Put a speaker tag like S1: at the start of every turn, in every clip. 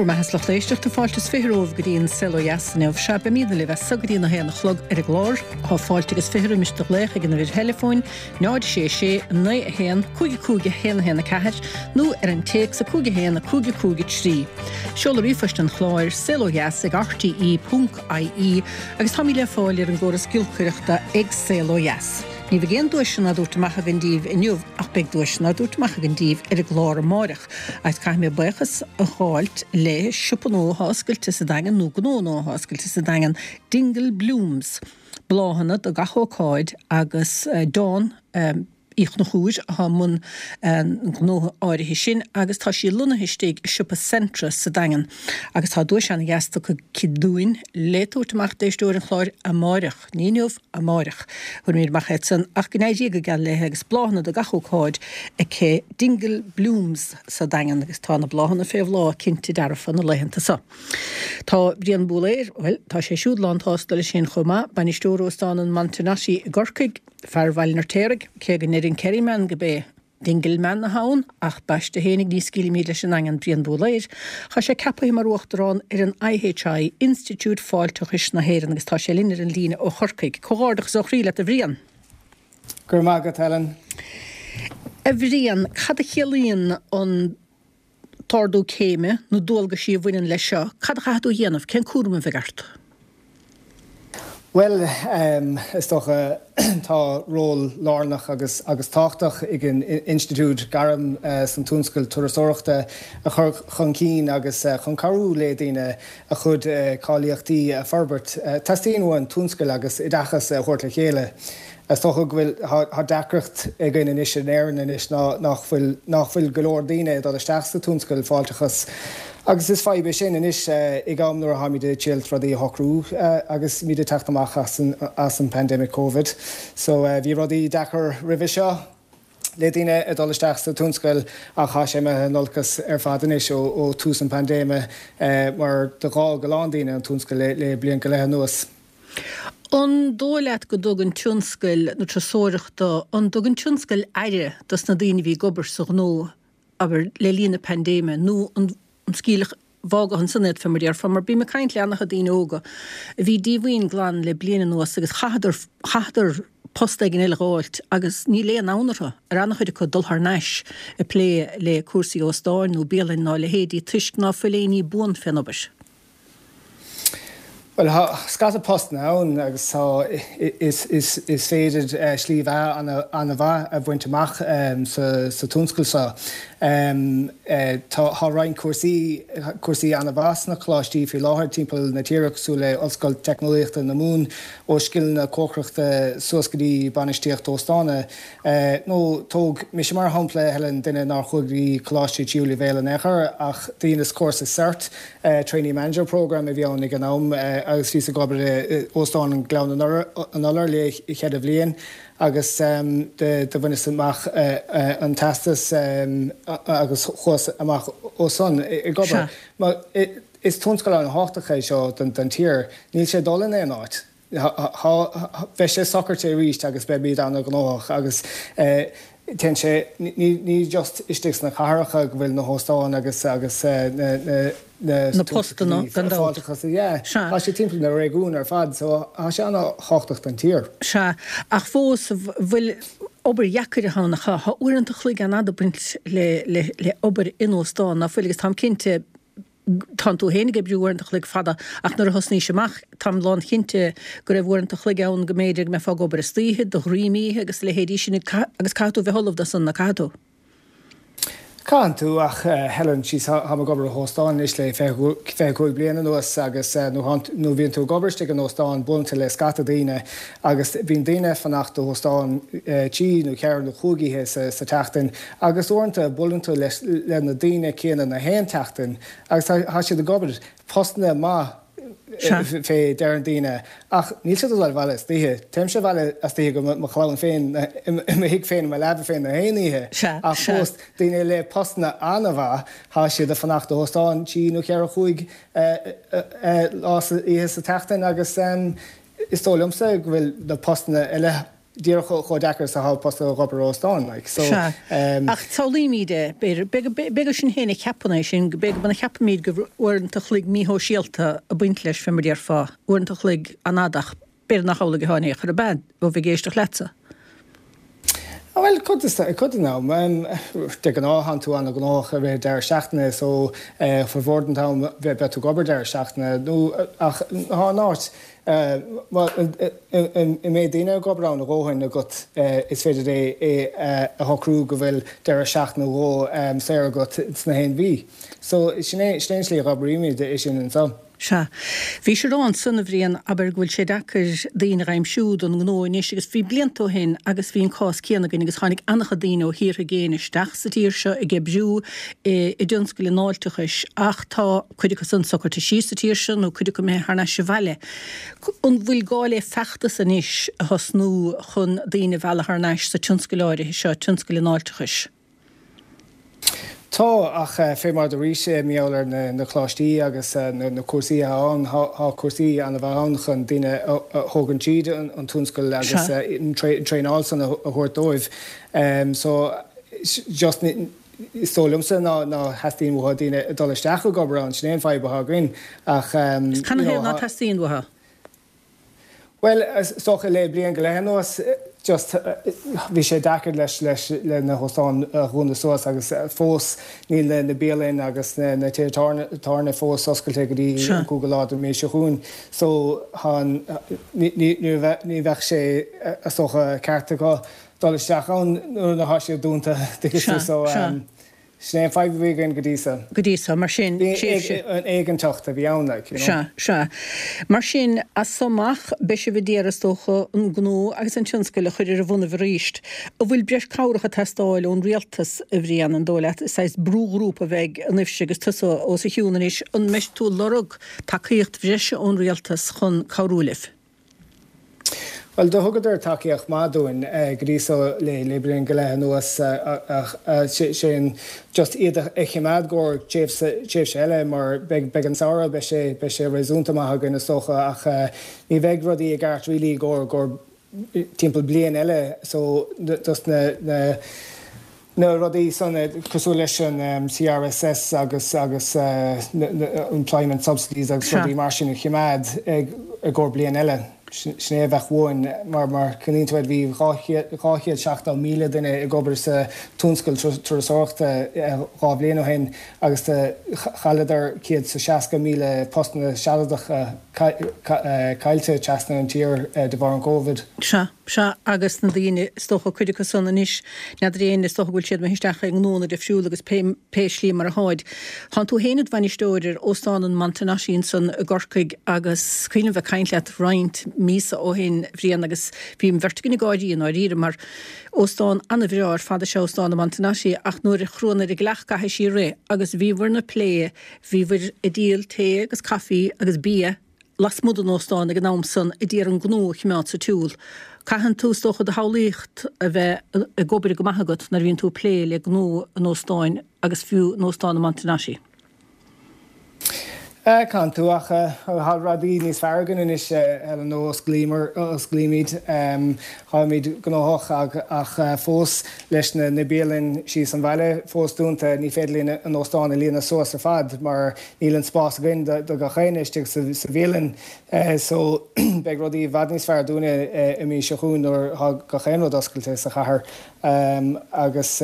S1: Bhur mbeatha is lucht éisteachta, fáilte is 20 romhaibh go dtí an Saol Ó Dheas inniu. Sea, beimídne libh as so go dtí an 1 a chlog ar an gclár. Tá fáilte agus 20 roimis do ghlaoch ag an uimhir theileafóin 0 6 6 9 1 5 5 1 1 4 nó ar an téacs 5 1 5 5 3. Seoladh ríomhphoist an chláir, saolodheas ag rte ponc ie agus táimid le fáil ar an gcóras giolcaireachta ag Saol Ó Dheas. Ní bheidh aon duaiseanna á dtabhairt amach againn díbh inniu ach beidh duaiseanna á dtabhairt amach againn díbh ar an gclár amáireach. Agus caithfidh mé buíochas a ghabháilt le siopa nua atá oscailte sa Daingean, nó gnó nua atá oscailte sa Daingean, Dingle Blooms, bláthanna do gach ócáid agus Dawn Uí Chonchúir atá i mbun an ghnótha áirithe sin agus tá sí lonnaithe istigh i siopa Centra sa Daingean agus tá duais ana-dheas tugtha aici dúinn le tabhairt amach d'éisteoir an chláir amáireach, ní inniu, amáireach. Tabharfaimid amach iad san ach go n-éirí go geal léi agus bláthanna do gach ócáid aici Dingle Blooms sa Daingean agus tá na bláthanna fé bhláth cinnte dearfa na laethanta so. Tá Brian Búlaeir, bhuel, tá sé siúd lán tsásta leis féin chomh maith, bainisteoir Óstán an Montenotte i gCorcaigh, fear Bhaile an Fheirtéaraigh, cé go ndeir an Kerryman go b'é Dingle Man atá ann, ach b'aiste fhéinig ní scaoilfimid leis an nDaingean Brian Búlaeir. Tá sé ceapaithe mar Uachtarán ar an IHI, Institiúid Fáilteachais na hÉireann agus tá sé linn ar an líne ó Chorcaigh. Comhghairdeachas ó chroí leat a Bhriain.
S2: Go raibh maith agat Helen.
S1: A Bhriain, cad a chiallaíonn an t-ardú céime, na dualgaisí a bhaineann leis seo, cad a chaithfidh tú a dhéanamh, cén cúram a bheidh ort?
S2: Bhuel, is dócha, tá ról lárnach agus agus tábhachtach ag an Institiúid gairm san tionscal turasóireachta a chur chun cinn agus chun cabhrú le daoine a chuid cáilíochtaí a forbairt. Teastaíonn uainn tionscal agus oideachas a thabhairt le chéile. Is dócha go bhfuil, tá deacracht againn anois in Éirinn anois ná nach bhfuil, nach bhfuil go leor daoine ag dul isteach sa tionscal fáilteachas agus is fadhb é sin anois ag am nuair atáimid ag triail rudaí a shocrú agus muid ag teacht amach as an, as an pandemic Covid. So bhí rudaí deacair roimhe seo le daoine ag dul isteach sa tionscal ach tá sé imithe in olcas ar fad anois ó, ó tús an paindéime mar d'fhág a lán daoine an tionscal le, le bliain go leith anuas.
S1: An dóigh leat go dtugann tionscal na turasóireachta, an dtugann tionscal aire dos na daoine a bhí ag obair sa ghnó, abair, le linn na paindéime, nó an scaoileadh, fágadh ansan iad, fé mar a déarfá, mar bím ag caint le ana-chuid daoine óga a bhí díomhaoin glan le bliain anuas agus chaitheadar, chaitheadar post éigin eile dh'fháilt agus níl aon fhonn orthu, ar ana-chuid acu, dul thar n-ais ag plé le cúrsaí óstáin nó bialainn ná a leithéidí toisc ná fuil aon ní buan fén obair.
S2: Bhuel, tá scata postanna ann agus tá, is féidir slí bheatha an-mhaith a bhaint amach sa tionscal seo. Tá roinnt cúrsaí, cúrsaí an-mhaith sna coláistí faoi láthair timpeall na tíre cosúil le Ollscoil Teicneolaíochta na Mumhan, ó scileanna cócaireachta suas go dtí bainistíocht óstána. Nó tóg mise mar shampla, Helen, duine nár chuaigh go dtí coláiste tríú leibhéal in aon chor ach dheineas cúrsa cert, Trainee Manager Programme a bhí ann ag an am agus bhíos ag obair i Óstán an Gleann an Iolair le cheithre bhliain agus do bhaineas amach an teastas agus chuas amach ó san ag obair. Is tionscal an-thábhachtach é seo don tír. Níl sé ag dul in aon áit. Beidh sé socraithe arís agus beimid an-ghnóthach agus téann sé, ní just istigh sna cathracha go bhfuil na hóstáin agus agus na
S1: na postanna gan dabht.
S2: Yeah, tá sé timpeall na réigiún ar fad so tá sé an-thábhachtach don tír.
S1: Sea, ach fós bhfuil obair dheacair ann ach tá uaireanta an chloig an-fhada ag baint le le obair in óstán, ná fuil agus táim cinnte Tánn tú féin ag oibriú uaireanta an chloig fada ach nuair a thosnaís amach, táim lánchinnte go raibh uaireanta an chloig ann go mb'fhéidir go mbeifeá ag obair istoíche, do dhroim oíche agus a leithéidí sin agus caithfidh tú bheith ullamh dó san, ná caithfidh tú?
S2: Caitheann tú ach Helen, síos, táim ag obair i hóstán anois le 25 bliain anuas agus nuair a bhíonn tú ag obair istigh in óstán buaileann tú le scata daoine agus bíonn daoine ag fanacht i hóstán trí nó ceithre nó chúig oíche sa tseachtain Agus uaireanta buaileann tú leis le na daoine céanna na haon tseachtain agus tá siad ag obair postanna maith fé deireann daoine ach níl siad ag dul abhaile istoíche. Téimse abhaile istoíche go mo chlann féin i mo thigh féin i mo leaba féin na haon oíche ach fós daoine le postanna an-mhaith tá siad ag fanacht i hóstán trí nó cheithre chúig lá sa oíche sa tseachtain agus is dóigh liomsa go bhfuil na postanna eile. díreach chomh deacair is atá post ag obair i óstán, like. So,
S1: Sea. Ach samhlaímid é, b'fhéidir, b'fhéidir gur sinn féin a cheapann é sin, b'fhéidir go cheapaimid go bhfuil uaireanta a chloig míshóisialta ag baint leis, fé mar déarfá, uaireanta a chloig an-fhada ach b'fhéidir nach amhlaidh atá in aon chor, ab ea, ó bheith ag éisteacht leatsa?
S2: Bhuel, cuid cuid den am. De ghnáth, tánn tú an-ghnóthach i rith an deireadh seachtaine so formhór den t-am beidh tú ag obair deireadh seachtaine nó ach thá an áit a mbeidh daoine ag obair ann a dhóthain agat is féidir é a shocrú go bhfuil deireadh seachtaine nó dhó saor agat sna haon mhí. So sin é an tslí a dh'oibrímid é sin anseo.
S1: Sea. Bhís ag rá ansan, a Bhriain, abair, go bhfuil sé deacair daoine a dh'aimsiú don ngnó anois agus bhí blianta ó shin agus bhí an cás céanna againn agus tháinig an-chuid daoine ó thíortha i gcéin isteach sa tír seo ag oibriú i dtionscal an fháilteachais ach tá cuid acu san socraithe síos sa tír seo nó cuid acu imithe thar n-ais abhaile. An bhfuil gá le feachtas anois a thosnú chun daoine a mhealladh thar n-ais sa tionscal áirithe seo, tionscal an fháilteachais?
S2: Tá, ach fé mar dúraís, mar gheall ar na coláistí agus na cúrsaí atá ann, tá cúrsaí an-mhaith ann chun daoine a thógaint tríd an tionscal agus an traenáil san a thabhairt dóibh. So, just, is dóigh liomsa ná ná theastaíonn uathu daoine ag dul isteach ag obair ann, sin é an fadhb atá againn.
S1: Ach, you know, Canathaobh ná teastaíonn uathu?
S2: Bhuel, is dócha le bliain go leith anuas, just bhí sé deacair leis leis le na hóstáin a dhúnadh suas agus fós níl na na bialainn agus na na tithe tábhairne fós oscailte go dtí an cúigiú lá den mhí seo chugainn. So thá an ní ní ní bheadh ní bheadh sé is dócha ceart acu dul isteach ann nuair atá siad dúnta, tuigeann tú so Sin é an fadhb a bhí againn go dtí
S1: so. Go dtí so, mar sin,
S2: tréimhse. An éiginnteacht a bhí ann, like, you know.
S1: Sea, sea. Mar sin, as so amach, beidh sibh a d'iarraidh, is dócha, an gnó agus an tionscal a chur ar a bhonnaibh arís. An bhfuil breis cabhrach ag teastáil ón rialtas, a Bhriain, an dóigh leat? Saghas brúghrúpa a bheidh ionaibhse agus tusa os a chionn anois. An mbeidh tú ag lorg tacaíocht bhreise ón rialtas chun cabhrú libh?
S2: Bhuel, do thugadar tacaíocht maith dúinn go dtí so le bliain go leith anuas ach sé an just iad a chimeád i gcomhair tréimhse eile mar beidh an samhradh, beidh sé, beidh sé réasúnta maith againn is dócha ach ní bheidh rudaí i gceart really i gcomhair timpeall bliain eile so just na, na, Na rudaí san, cosúil leis an CRSS agus agus employment subsidies agus rudaí mar sin a chimeád i gcomhair bliain eile, sin é a bheadh uainn mar mar cuimhníonn tú air bhí 270,000 duine ag obair sa tionscal turasóireachta 2 bhliain ó shin agus chailleadar 160,000 postanna sealadacha caillte trasna an tír de bharr an Covid.
S1: Sea. Sea, agus na daoine, is dócha, cuid acu san anois, n'fheadar éinne, is dócha go bhfuil siad imithe isteach i ngnónna difriúla agus pé, pé slí mar a tháid. Tánn tú féin id bhainisteoir ar Óstán an Montenotte ansan i gCorcaigh agus is cuimhin liom bheith ag caint leat roinnt míosa ó shin, Bhriain, agus bhí an bheirt againn ag gáirí i ndáiríre mar óstán ana-bhreá ar fad is ea Óstán an Montenotte ach nuair a chruann ar an gcleach caithfidh sí rith agus bhíobhair ag plé, bhíobhair ag díol tae agus caife agus bia, lasmuigh den óstán ag an am san a d'iarraidh an gnó a chimeád sa tsiúl. Caitheann tú, is dócha, do shamhlaíocht a bheith ag obair go maith agat nuair a bhíonn tú ag plé le gnó an óstáin agus fiú an óstán an Montenotte.
S2: Caitheann tú, ach tá rudaí níos fearr againn anois, Helen, ó osclaíomar, osclaímid, táimid gnóthach ach fós leis na bialainn síos an bhaile fós dúnta, ní féidir linn an óstán a líonadh suas ar fad mar Níl an spás againn do gach éinne istigh sa bhialann so beidh rudaí i bhfad níos fearr dúinne i mí seo chugainn nuair atá gach aon rud oscailte sa chathair agus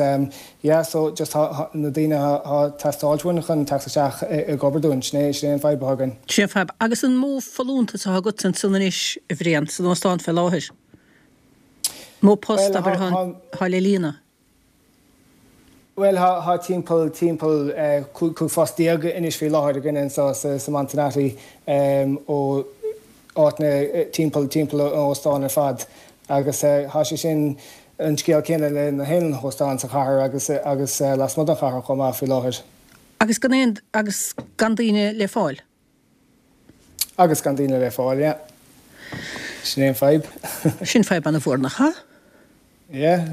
S2: yeah so just tá na daoine atá ag teastáilt uainn chun teacht isteach ag obair dúinn, sin é sin é an fadhb atá againn.
S1: Sin é an fadhb. Agus an mó folúntas atá agatsa ansan anois, a Bhriain, san óstán fé láthair? Mó post, abair, atá le líonadh?
S2: Bhuel, thá timpeall, timpeall 15 phost anois faoi láthair againne anseo sa Montenotte ó áiteanna timpeall, timpeall an óstáin ar fad agus thá sé sin an scéal céanna le na haon hóstán sa chathair agus, agus lasmuigh den chathair chomh maith faoi láthair.
S1: Agus gan aon, agus gan daoine le fáil?
S2: Agus gan daoine le fáil, yeah. Sin é an fadhb.
S1: Sin fadhb ana-mhór, nach ea?
S2: Yeah.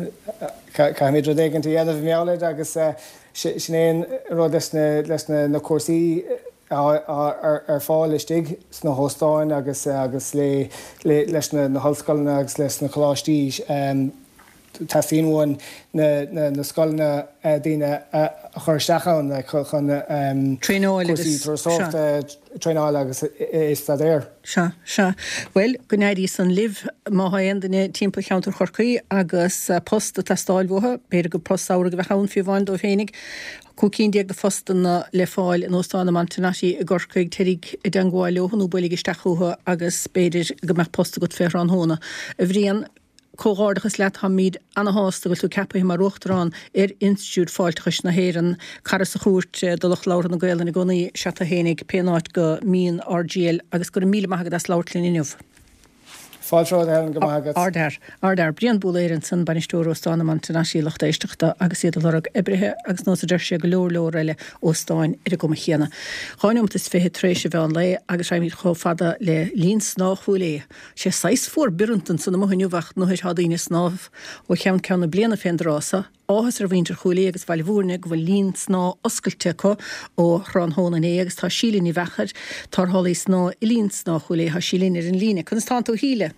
S2: Caithfimid rud éigin a dhéanamh i ngeall air agus sin é an rud leis na, leis na cúrsaí. Ar fáil istigh sna hóstáin agus agus le leis na hollscoileanna agus leis na coláistí. Teastaíonn uainn na scoileanna daoine a chur isteach ann chun cúrsaí turasóireachta, traenáil agus staidéar.
S1: Sea, sea. Bhuel, go n-éirí san libh. Má thá aon duine timpeall cheantar Chorcaí agus post ag teastáil uathu, b'fhéidir gur post samhraidh a bheadh ann fiú amháin dóibh fhéinig, 15 cinn de phostanna le fáil in Óstán an Montenotte i gCorcaigh. Téiríg i dteangmháil leo nó buailigh isteach chucu agus b'fhéidir go mbeadh post agat fé thráthnóna. A Bhriain, comhghairdeachas leat, táimíd ana-shásta go bhfuil tú ceapaithe mar Uachtarán ar Institiúid Fáilteachais na hÉireann. Cara sa chúirt do lucht labhartha na Gaolainne i gcónaí is ea tú fhéinig, pé áit go mbíonn ár dtriall agus go raibh míle maith agat as labhairt linn inniu.
S2: Fáilte romhat, a Helen, go maith agat.
S1: Ardfhear. Ardfhear. Brian Búlaeir ansan, Bainisteoir Óstán an Montenotte, lucht éisteachta agus iad ag lorg oibrithe agus nós a deir sé go leor leor eile óstáin ar an gcuma chéanna. Dhá neomat is fiche tar éis an mheán lae agus raghaimid chomh fada le Linn Snámha Chúil Aodha. Sé saghas fuar bioranta ansan amuigh inniu ach nuair thá daoine ag snámh ó cheann ceann na bliana fén dtráth so. Áthas ar mhuintir Chúil Aodha agus Bhaile Bhúirne go bhfuil linn snámha oscailte acu ó thráthnóna inné agus tá Síle Ní Mheachair, tarrthálaí snámha i linn snámha Chúil Aodha, tá sí linn ar an líne. Conas tánn tú a Shíle?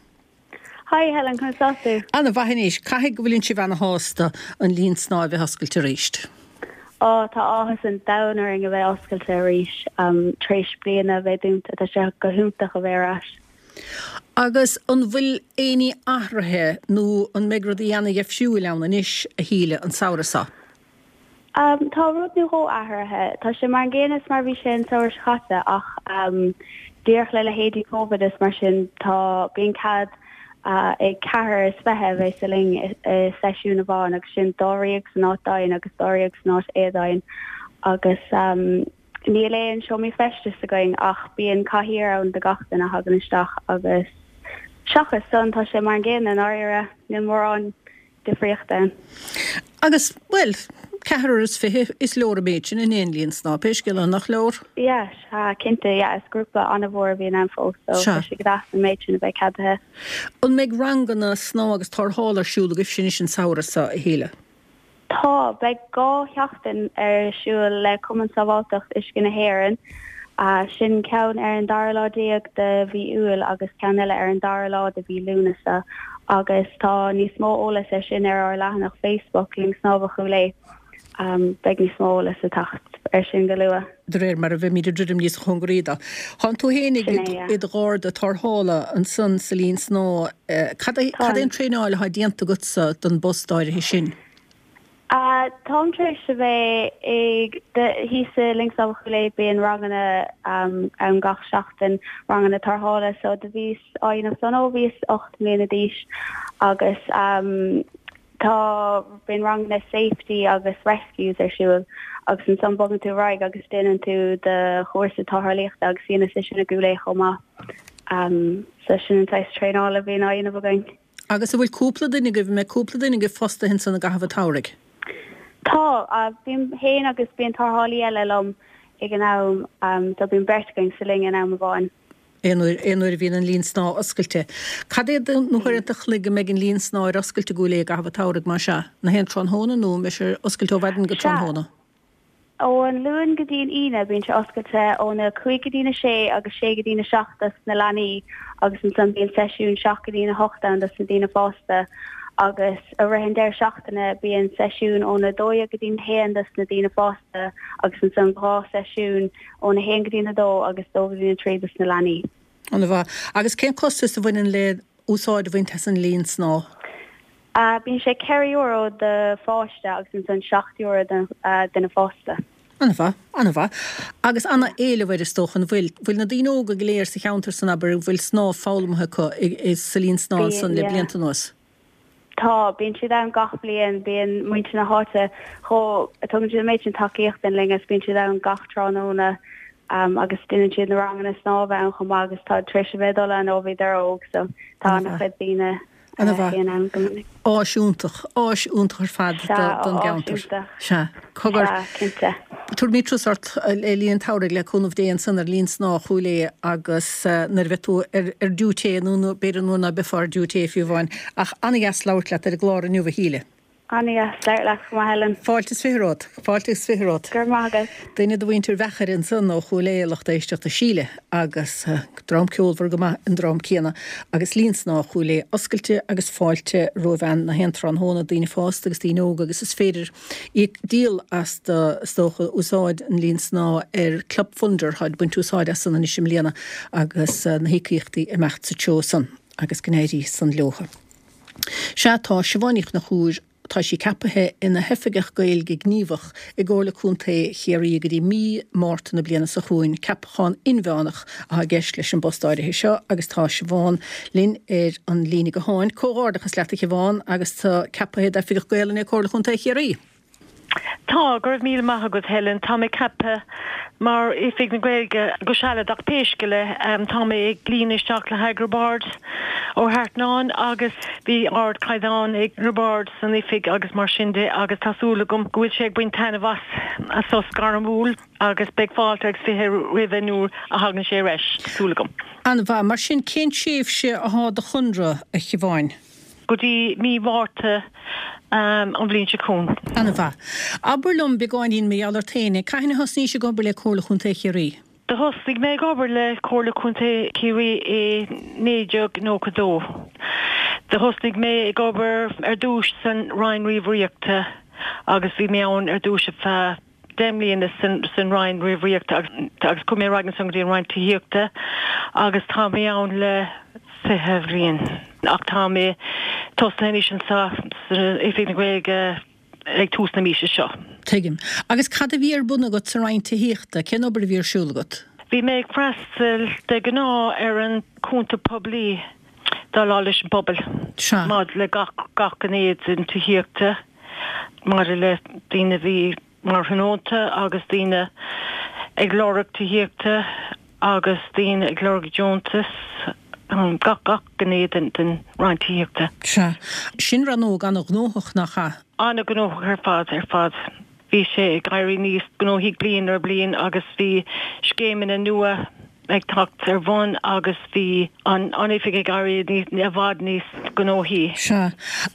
S3: Hi Helen, conas tá tú?
S1: Ana mhaith anois. Caithfidh go bhfuileann sibh ana shásta an linn snámha a bheith oscailte arís.
S3: Á, tá áthas an domhain orainn a bheith oscailte arís tar éis bliana a bheith dúnta. Tá sé go hiontach a bheith ar ais.
S1: Agus an bhfuil éinní athraithe nó an mbeidh rudaí ana-dheifriúil ann anois, a Shíle, an samhradh seo?
S3: Tá rud nó dhó athraithe. Tá sé mar an gcéanna is mar a bhí sé an samhradh seo caite ach díreach le leithéidí Covid is mar sin tá, bíonn cead ag ceathrar is fiche a bheith sa linn i seisiún amháin agus sin dáréag san áit domhain agus dáréag san áit éadomhain agus Níl aon seomraí feistis againn ach bíonn cathaoir ann do gach duine a thagann isteach agus seachas san tá sé mar an gcéanna i ndáiríre, níl mórán difríochta ann.
S1: Agus, bhuel, ceathrar is fiche, is leor an méid sin in aon linn snámha, pé scéal é, nach leor?
S3: Yeah, sea, cinnte, yeah, is grúpa an-mhór a bhíonn ann fós so tá sé go deas an méid sin a bheith ceadaithe.
S1: An mbeidh ranganna snámha agus tarrthála ar siúl agaibhse anois an samhradh seo, a Shíle?
S3: Tá. Beidh 2 sheachtain ar siúl le Cumann Sábháilteacht Uisce na hÉireann. Sin ceann ar an dara lá déag de mhí Iúil agus ceann eile ar an dara lá de mhí Lúnasa. Agus tá níos mó eolas ar sin ar ár leathanach Facebook, Linn Snámha Chúil Aodha. Beidh níos mó eolas ag teacht ar sin go luath.
S1: De réir mar a bheimid ag druidim níos cóngaraí dó. Tánn tú fhéinig i do gharda tarrthála ansan sa linn snámha. Cad é an traenáil atá déanta agatsa don bpost áirithe sin?
S3: Táim tar éis a bheith ag, thíos i Linn Snámha Chúil Aodha bíonn ranganna ann gach seachtain, ranganna tarrthála, so do bhíos á dhéanamh san ó bhíos 8 mbliana d'aois agus Tá, bíonn ranganna safety agus rescues ar siúl agus ansan bogann tú ar aghaidh agus déanann tú do chúrsa tarrthálaíochta agus dheineas é sin i gCúil Aodha chomh maith. So sin an saghas traenála a bhíonn á dhéanamh againn.
S1: Agus an bhfuil cúpla duine agaibh, an mbeidh cúpla duine agaibh fostaithe ansan i gcaitheamh an tsamhraidh?
S3: Tá, bím féin agus bíonn tarrthálaí eile liom ag an am, so bíonn beirt againn sa linn in am amháin.
S1: Aon uair, aon uair a bhíonn an linn snámha oscailte. Cad iad na huaireanta an chloig a mbeidh an linn snámha ar oscailt i gCúil Aodha i gcaitheamh an tsamhraidh, más ea? Na haon tráthnóna nó an mbeidh sé ar oscailt ó mhaidin go
S3: Sea.
S1: tráthnóna?
S3: Ó an Luan go dtí an Aoine bíonn sé oscailte óna 5 go dtína 6 agus 6 go dtína 7 dos na leanaí agus ansan bíonn seisiún 7 go dtína 8 ann dos na daoine fásta agus i rith an deireadh seachtaine bíonn seisiún óna 12 go dtína 1 dos na daoine fásta agus ansan dhá seisiún Óna haon go dtína dó agus dó go dtína trí dos na leanaí.
S1: Ana mhaith. Agus cén costas a bhaineann le úsáid a bhaint as an linn snámha?
S3: Bíonn sé €4 do pháiste agus ansan €7 do duine fásta.
S1: Ana mhaith, ana mhaith. Agus ana éileamh air is dócha, an bhfuil? Bhfuil na daoine óga go léir sa cheantar san, abair, an bhfuil snámh foghlamtha acu sa linn snámha
S3: Bíonn,
S1: ansan le
S3: yeah.
S1: blianta anuas?
S3: Tá, bíonn siad ann gach bliain, bíonn muintir na háite chomh, tugann siad an méid sin tacaíocht don linn agus bíonn siad ann gach tráthnóna agus déanann siad na ranganna snámha ann chomh maith agus tá tar éis a bheith ag dul ann ó bhíodar óg so tá
S1: Ana-mhaith.
S3: an-chuid daoine
S1: Ana-mhaith.
S3: a bhíonn ann go minic.
S1: Áis iontach, áis iontach ar fad
S3: Sea,
S1: don
S3: áis
S1: gceantar.
S3: iontach.
S1: Sea. Cogar.
S3: Sea, cinnte.
S1: Tabharfaimid turas ort le linn an tsamhraidh le cúnamh Dé ansan ar linn snámha Chúil Aodha agus nuair a bheidh tú ar ar diúité nó b'fhéidir nuair ná beifeá ar diúité fiú amháin. Ach an-dheas labhairt leat ar an gclár inniu a Shíle.
S3: Ana-dheas labhairt leat chomh maith, Helen.
S1: Fáilte is 20 romhat. Fáilte is 20 romhat.
S3: Go raibh maith agat.
S1: Duine de mhuintir Mheachair ansan ó Chúil Aodha, lucht éisteachta Síle, agus dream ceolmhar go maith an dream céanna, agus Linn Snámha Chúil Aodha oscailte agus fáilte roimh na haon tráthnóna, daoine fásta agus daoine óga, agus is féidir íoc díol as do, is dócha, úsáid an linn snámha ar Club Funder, táid ag baint úsáid as san anois i mbliana agus na híocaíochtaí imeacht sa treo san agus go n-éirí san leotha. Sea, tá Siobhán Ní Chonchúir, tá sí ceapaithe ina hOifigeach Gaeilge Gníomhach i gComhairle Contae Chiarraí go dtí mí Márta na bliana seo chugainn. Ceapachán inmheánach atá i gceist leis an bpost áirithe seo agus tá Siobhán linn ar an líne gutháin. Comhghairdeachas leat a Shiobhán agus tú ceapaithe d'Oifigeach Gaelainne i Comhairle Chontae Chiarraí.
S4: Tá, go raibh míle maith agat Helen. Tá mé ceaptha mar Oifig na Gaeilge go sealadach pé scéal é. Tá mé ag líonadh isteach le haghaidh Roibeárd Ó hEartnáin agus bhí ardchaighdeán ag Roibeárd san oifig agus mar sin de agus tá súil agam go bhfuil sé ag baint taitneamh as a sos gairmiúil agus beidh fáilte agus 20 roimhe nuair a thagann sé ar ais, tá súil agam.
S1: An-mhaith. Mar sin, cén tréimhse athá do chonradh, a Shiobháin?
S4: go dtí mí Mhárta an bhliain seo chugainn.
S1: An-mhaith. Abair liom beagáinín mar gheall ort féin. Cathain a thosnaís ag obair le Comhairle Chontae Chiarraí?
S4: Do thosnaigh mé ag obair le Comhairle Contae Chiarraí i 1992. Do thosnaigh mé ag obair ar dtúis san Roinn Ríomhaireachta agus bhí mé ann ar dtúis ar feadh 10 mbliana san Roinn Ríomhaireachta agus chuaigh mé ar aghaidh ansan go dtí an Roinn Tithíochta agus tá mé ann le 20 bhliain ach tá mé tosnaithe anois anseo san Oifig na Gaeilge ag tús na míosa seo.
S1: Tuigim. Agus cad a bhí ar bun agat sa Roinn Tithíochta? Cén obair a bhí ar siúl agat?
S4: Bhí mé ag freastal de ghnáth ar an cúnta poiblí, déileáil leis an bpobal maidir le gach gach gné den tithíochta. maidir le daoine a bhí mar thionónta agus daoine ag lorg tithíochta agus daoine ag lorg deontas, gach, gach gné den, den Roinn Tithíochta.
S1: Sea. Sin rannóg an-ghnóthach, nach ea?
S4: An-ghnóthach ar fad, ar fad. Bhí sé ag éirí níos gnóthaí bliain ar bhliain agus bhí scéimeanna nua ag teacht ar bhun agus bhí an oifig ag éirí i bhfad níos gnóthaí.
S1: Sea.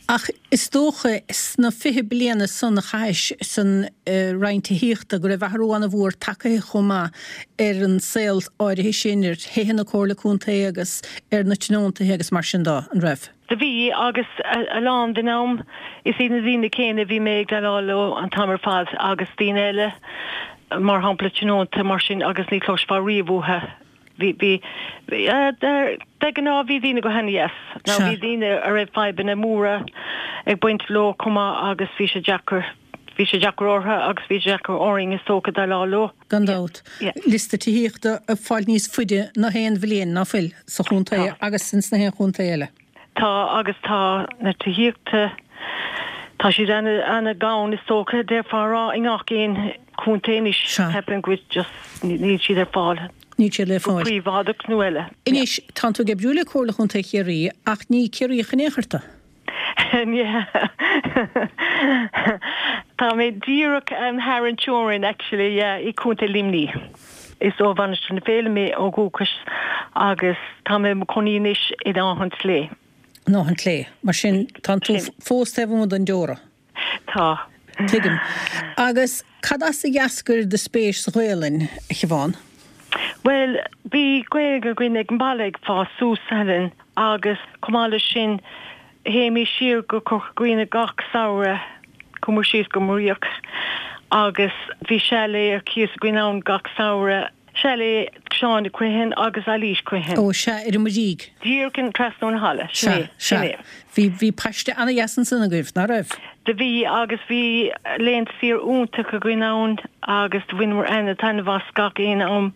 S1: Ach is dócha sna 20 bliana san a chaithis san Roinn Tithíochta go raibh athrú an-mhór tagtha chomh maith ar an saol áirithe sin, ar thithe na Comhairle Contae agus ar na tionóntaithe agus mar sin de, an raibh?
S4: Do bhí, agus a lán den am is iad na daoine céanna a bhí mé ag déileáil leo an t-am ar fad agus daoine eile, mar shampla tionónta mar sin agus ní chloisfeá riamh uathu. Bhí, bhí, de ghnáth bhí daoine go han-dheas. Now bhí daoine a raibh fadhbanna móra ag baint leo chomh maith agus bhí sé deacair, bhí sé deacair orthu agus bhí sé deacair orainn is dócha déileáil leo.
S1: Gan dabht. Liosta tithíochta ag fáil níos faide ná haon bhliain, ná fuil, sa chontae agus ins na haon chontae eile.
S4: Tá, agus tá na tithíochta, tá siad ana-ghann is dócha, déarfá a rá, i ngach aon chontae anois. Ceapaim go bhfuil just, níl siad ar fáil.
S1: Níl siad le
S4: fáil. Go príobháideach nó eile.
S1: Anois, tánn tú ag oibriú le Comhairle Chontae Chiarraí ach ní Ciarraíoch in aon chor tú.
S4: Yeah. Tá mé díreach thar an teorainn actually, yeah, i Contae Luimnigh. Is ó Mhainistir na Féile mé ó dhúchas agus tá mé i mo chónaí anois in Áth an tSlé.
S1: In Áth an tSlé. Mar sin, tánn tú fós taobh amuigh den deora.
S4: Tá.
S1: Tuigim. Agus cad as a d'eascair do spéis sa Ghaelainn, a Shiobhán?
S4: Bhuel, bhí Gaeilge againn ag an mbaile ag fás suas, Helen, agus chomh maith leis sin, théimis siar go Corca Dhuibhne gach samhradh, chuamar síos go Muiríoch agus bhí chalet ar cíos againn ann gach samhradh. Chalet Seán Criomhthain agus Eilís Criomhthain.
S1: Ó, sea, ar an Muirígh.
S4: Díreach trasna ón halla, sin é, sin
S1: é. Bhí, bhí paiste ana-dheas ansan agaibh, ná raibh?
S4: Do bhí, agus bhí laethanta saoire iontacha againn ann agus do bhaineamar ana-taitneamh as gach aon am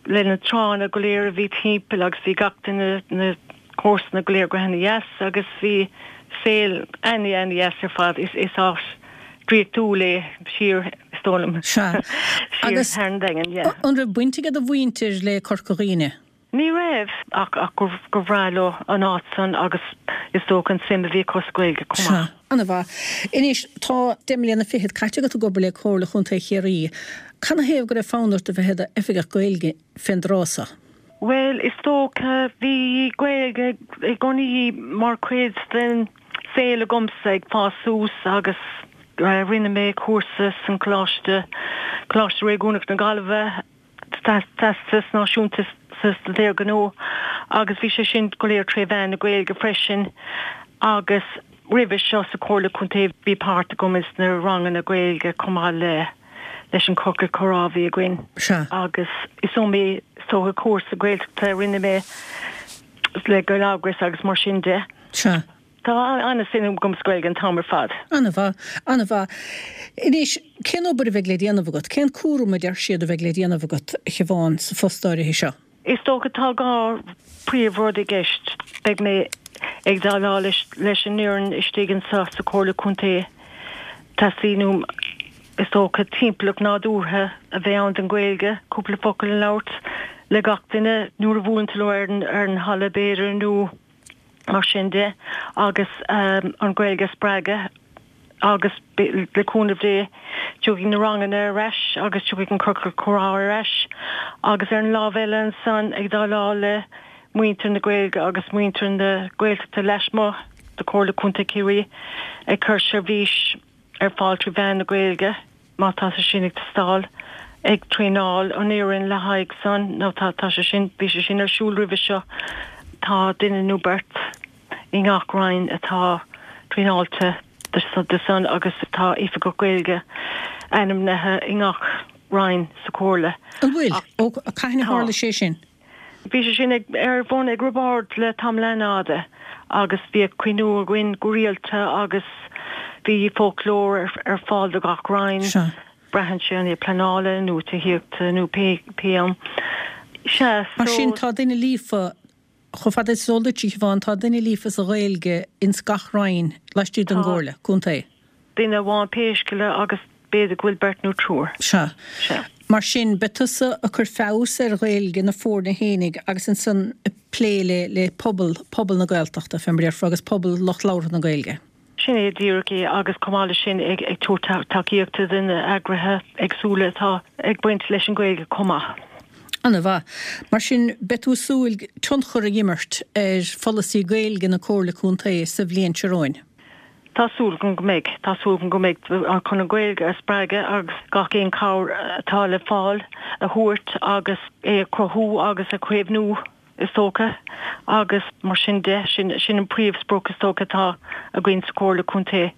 S4: le na tránna go léir a bhí timpeall agus bhí gach duine, na comharsana go léir go hana-dheas agus bhí saol ana-ana-dheas ar fad. Is, is áit draíochtúil é siar, is dóigh liom.
S1: Sea.
S4: Siar
S1: Agus
S4: thar an Daingean, yeah.
S1: an raibh baint ag do mhuintir le Corca Dhuibhne?
S4: Ní raibh, ach ach gur gur bhreá leo an áit san agus is dócha an suim a bhí acu sa Ghaeilge chomh
S1: Sea.
S4: maith.
S1: Ana-mhaith. Anois, tá deich mbliana fichead caite agat ag obair le Comhairle Chontae Chiarraí. Canathaobh go raibh fonn ort a bheith i d'Oifigeach Gaeilge fén dtráth so?
S4: Bhuel, is dócha, bhí Gaeilge i gcónaí mar chuid den. saol agamsa ag fás suas agus rinne mé cúrsa san Coláiste, Coláiste Réigiúnach na Gaillimhe, Teastas Náisiúnta sa Staidéar Gnó agus bhí sé sin go léir tré mheán na Gaeilge freisin agus roimhe seo sa Chomhairle Contae bhí páirt agam ins na ranganna Gaeilge chomh maith le leis an Ciorcal Comhrá a bhí againn
S1: Sea.
S4: agus is iomaí is dócha cúrsa Gaeltachta a rinne mé le Gaeleagras agus mar sin de.
S1: Sea.
S4: Tá an-suim agam sa Ghaeilge an t-am ar fad.
S1: An-mhaith, an-mhaith. Anois, cén obair a bheidh le déanamh agat? Cén cúram a deir siad a bheidh le déanamh agat, a Shiobhán, sa phost áirithe seo?
S4: Is dócha tá 2 príomh-rud i gceist. Beidh mé ag déileáil leis an fhoireann istigh anseo sa Chomhairle Contae. Teastaíonn uaim, is dócha, timpeallacht nádúrtha a bheith ann don Ghaeilge, cúpla focal a labhairt le gach duine nuair a bhuaileann tú leo ar an halla b'fhéidir nó mar sin de agus an Ghaeilge a spreagadh agus le cúnamh Dé tiocfaidh na ranganna ar ais agus tiocfaidh an ciorcal comhrá ar ais agus ar an lámh eile ansan ag déileáil le muintir na Gaeilge agus muintir na Gaeltachta lasmuigh de Chomhairle Contae Chiarraí ag cur seirbhís ar fáil trí mheán na Gaeilge. má tá sé sin ag teastáil, ag traenáil an fhoireann le haghaidh san, nó tá, tá sé sin, bhí sé sin ar siúl roimhe seo, tá duine nó beirt i ngach roinn atá traenáilte do san agus tá oifigeach Gaeilge ainmnithe i ngach roinn sa Chomhairle.
S1: An bhfuil? Ó, cathain a tharla sé sin?
S4: Bhí sé sin ag ar bun ag Roibeárd le tamall an-fhada agus bhíodh cruinniú againn go rialta agus bhí foclóir ar fáil do gach roinn,
S1: Sea.
S4: braitheann sé an é pleanála nó tithíochta nó pé pé am. Sea,
S1: Mar sin tá duine líofa, chomh fada is eol duit, a Shiobhán, tá duine líofa sa Ghaeilge ins gach roinn laistigh den
S4: Tá.
S1: gComhairle Contae.
S4: Duine amháin pé scéal é agus b'fhéidir go bhfuil beirt nó triúr.
S1: Sea.
S4: Sea.
S1: Mar sin, beidh tusa ag cur feabhas ar Ghaeilge na foirne fhéinig agus ansan ag plé le le pobal, pobal na Gaeltachta, fé mar a déarfá, agus pobal lucht labhartha na Gaeilge.
S4: Sin é díreach é agus chomh maith leis sin ag ag tabhairt tacaíochta do na eagraithe éagsúla atá ag baint leis an Ghaeilge chomh maith.
S1: Ana-mhaith. Mar sin, beidh tú ag súil tionchar a imirt ar pholasaí Gaeilge na Comhairle Contae sa bhliain seo romhainn?
S4: Tá súil agam go mbeidh. Tá súil agam go mbeidh chun an Ghaeilge a spreagadh agus gach aon chabhair atá le fáil a thabhairt agus é a chruthú agus a chaomhnú is dócha agus mar sin de, sin sin an príomhsprioc is dócha atá againn sa Chomhairle Contae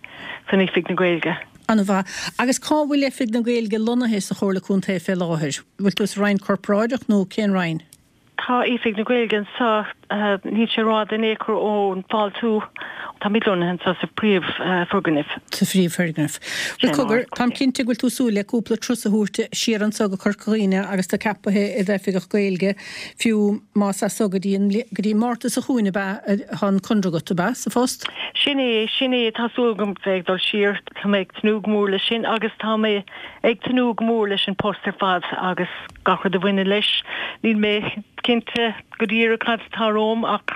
S4: san Oifig na Gaeilge.
S1: An-mhaith. Agus cá bhfuil Oifig na Gaeilge lonnaithe sa Chomhairle Contae fé láthair? Bhfuil tú sa Roinn Corparáideach nó cén Roinn?
S4: Tá Oifig na Gaeilge anseo, níl sé rófhada in aon chor ón bhfáiltiú. Táimid lonnaithe anseo sa phríomhfhoirgneamh.
S1: Sa phríomhfhoirgneamh. Bhuel, cogar, táim cinnte go bhfuil tú ag súil le cúpla turas a thabhairt siar anseo go Corca Dhuibhne agus tú ceapaithe i d'Oifigeach Gaeilge, fiú más as so go dtí an, go dtí Márta seo chugainn ab ea atá an conradh agat, ab ea, sa phost?
S4: Sin é, sin é, tá súil agam bheith ag dul siar. Tá mé ag tnúth go mór leis sin agus tá mé ag tnúth go mór leis an post ar fad agus. gach rud a bhaineann leis. Níl mé cinnte go díreach cad atá romham ach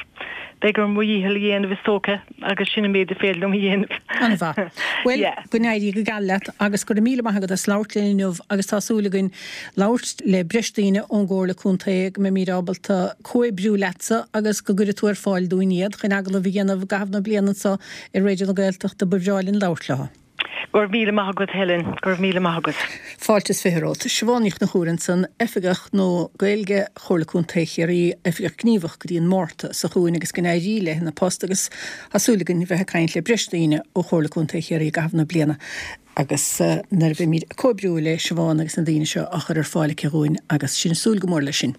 S4: beidh orm mo dhícheall a dhéanamh is dócha agus sin an méid is féidir liom a dhéanamh.
S1: An-mhaith. Bhuel, go n-éirí go geal leat agus go raibh míle maith agat as labhairt linn inniu agus tá súil againn labhairt le breis daoine ón gComhairle Contae go mbeimid ábalta comhoibriú leatsa agus go gcuirfidh tú ar fáil dúinn iad chun agallamh a dhéanamh i gcaitheamh na bliana anseo ar Raidió na Gaeltachta. Ba bhreá linn labhairt leo.
S4: Go raibh míle maith agat Helen, go raibh míle maith agat.
S1: Fáilte is 20 romhat. Siobhán Ní Chonchúir ansan, Oifigeach nua Gaeilge Chomhairle Contae Chiarraí, Oifigeach Gníomhach go dtí an Márta seo chugainn agus go n-éirí léi ina post agus tá súil againn bheith ag caint le breis daoine ó Chomhairle Contae Chiarraí i gcaitheamh na bliana agus nuair a bheimid ag comhoibriú le Siobhán agus na daoine seo á chur ar fáil aici dhúinn agus sinn ag súil go mór leis sin.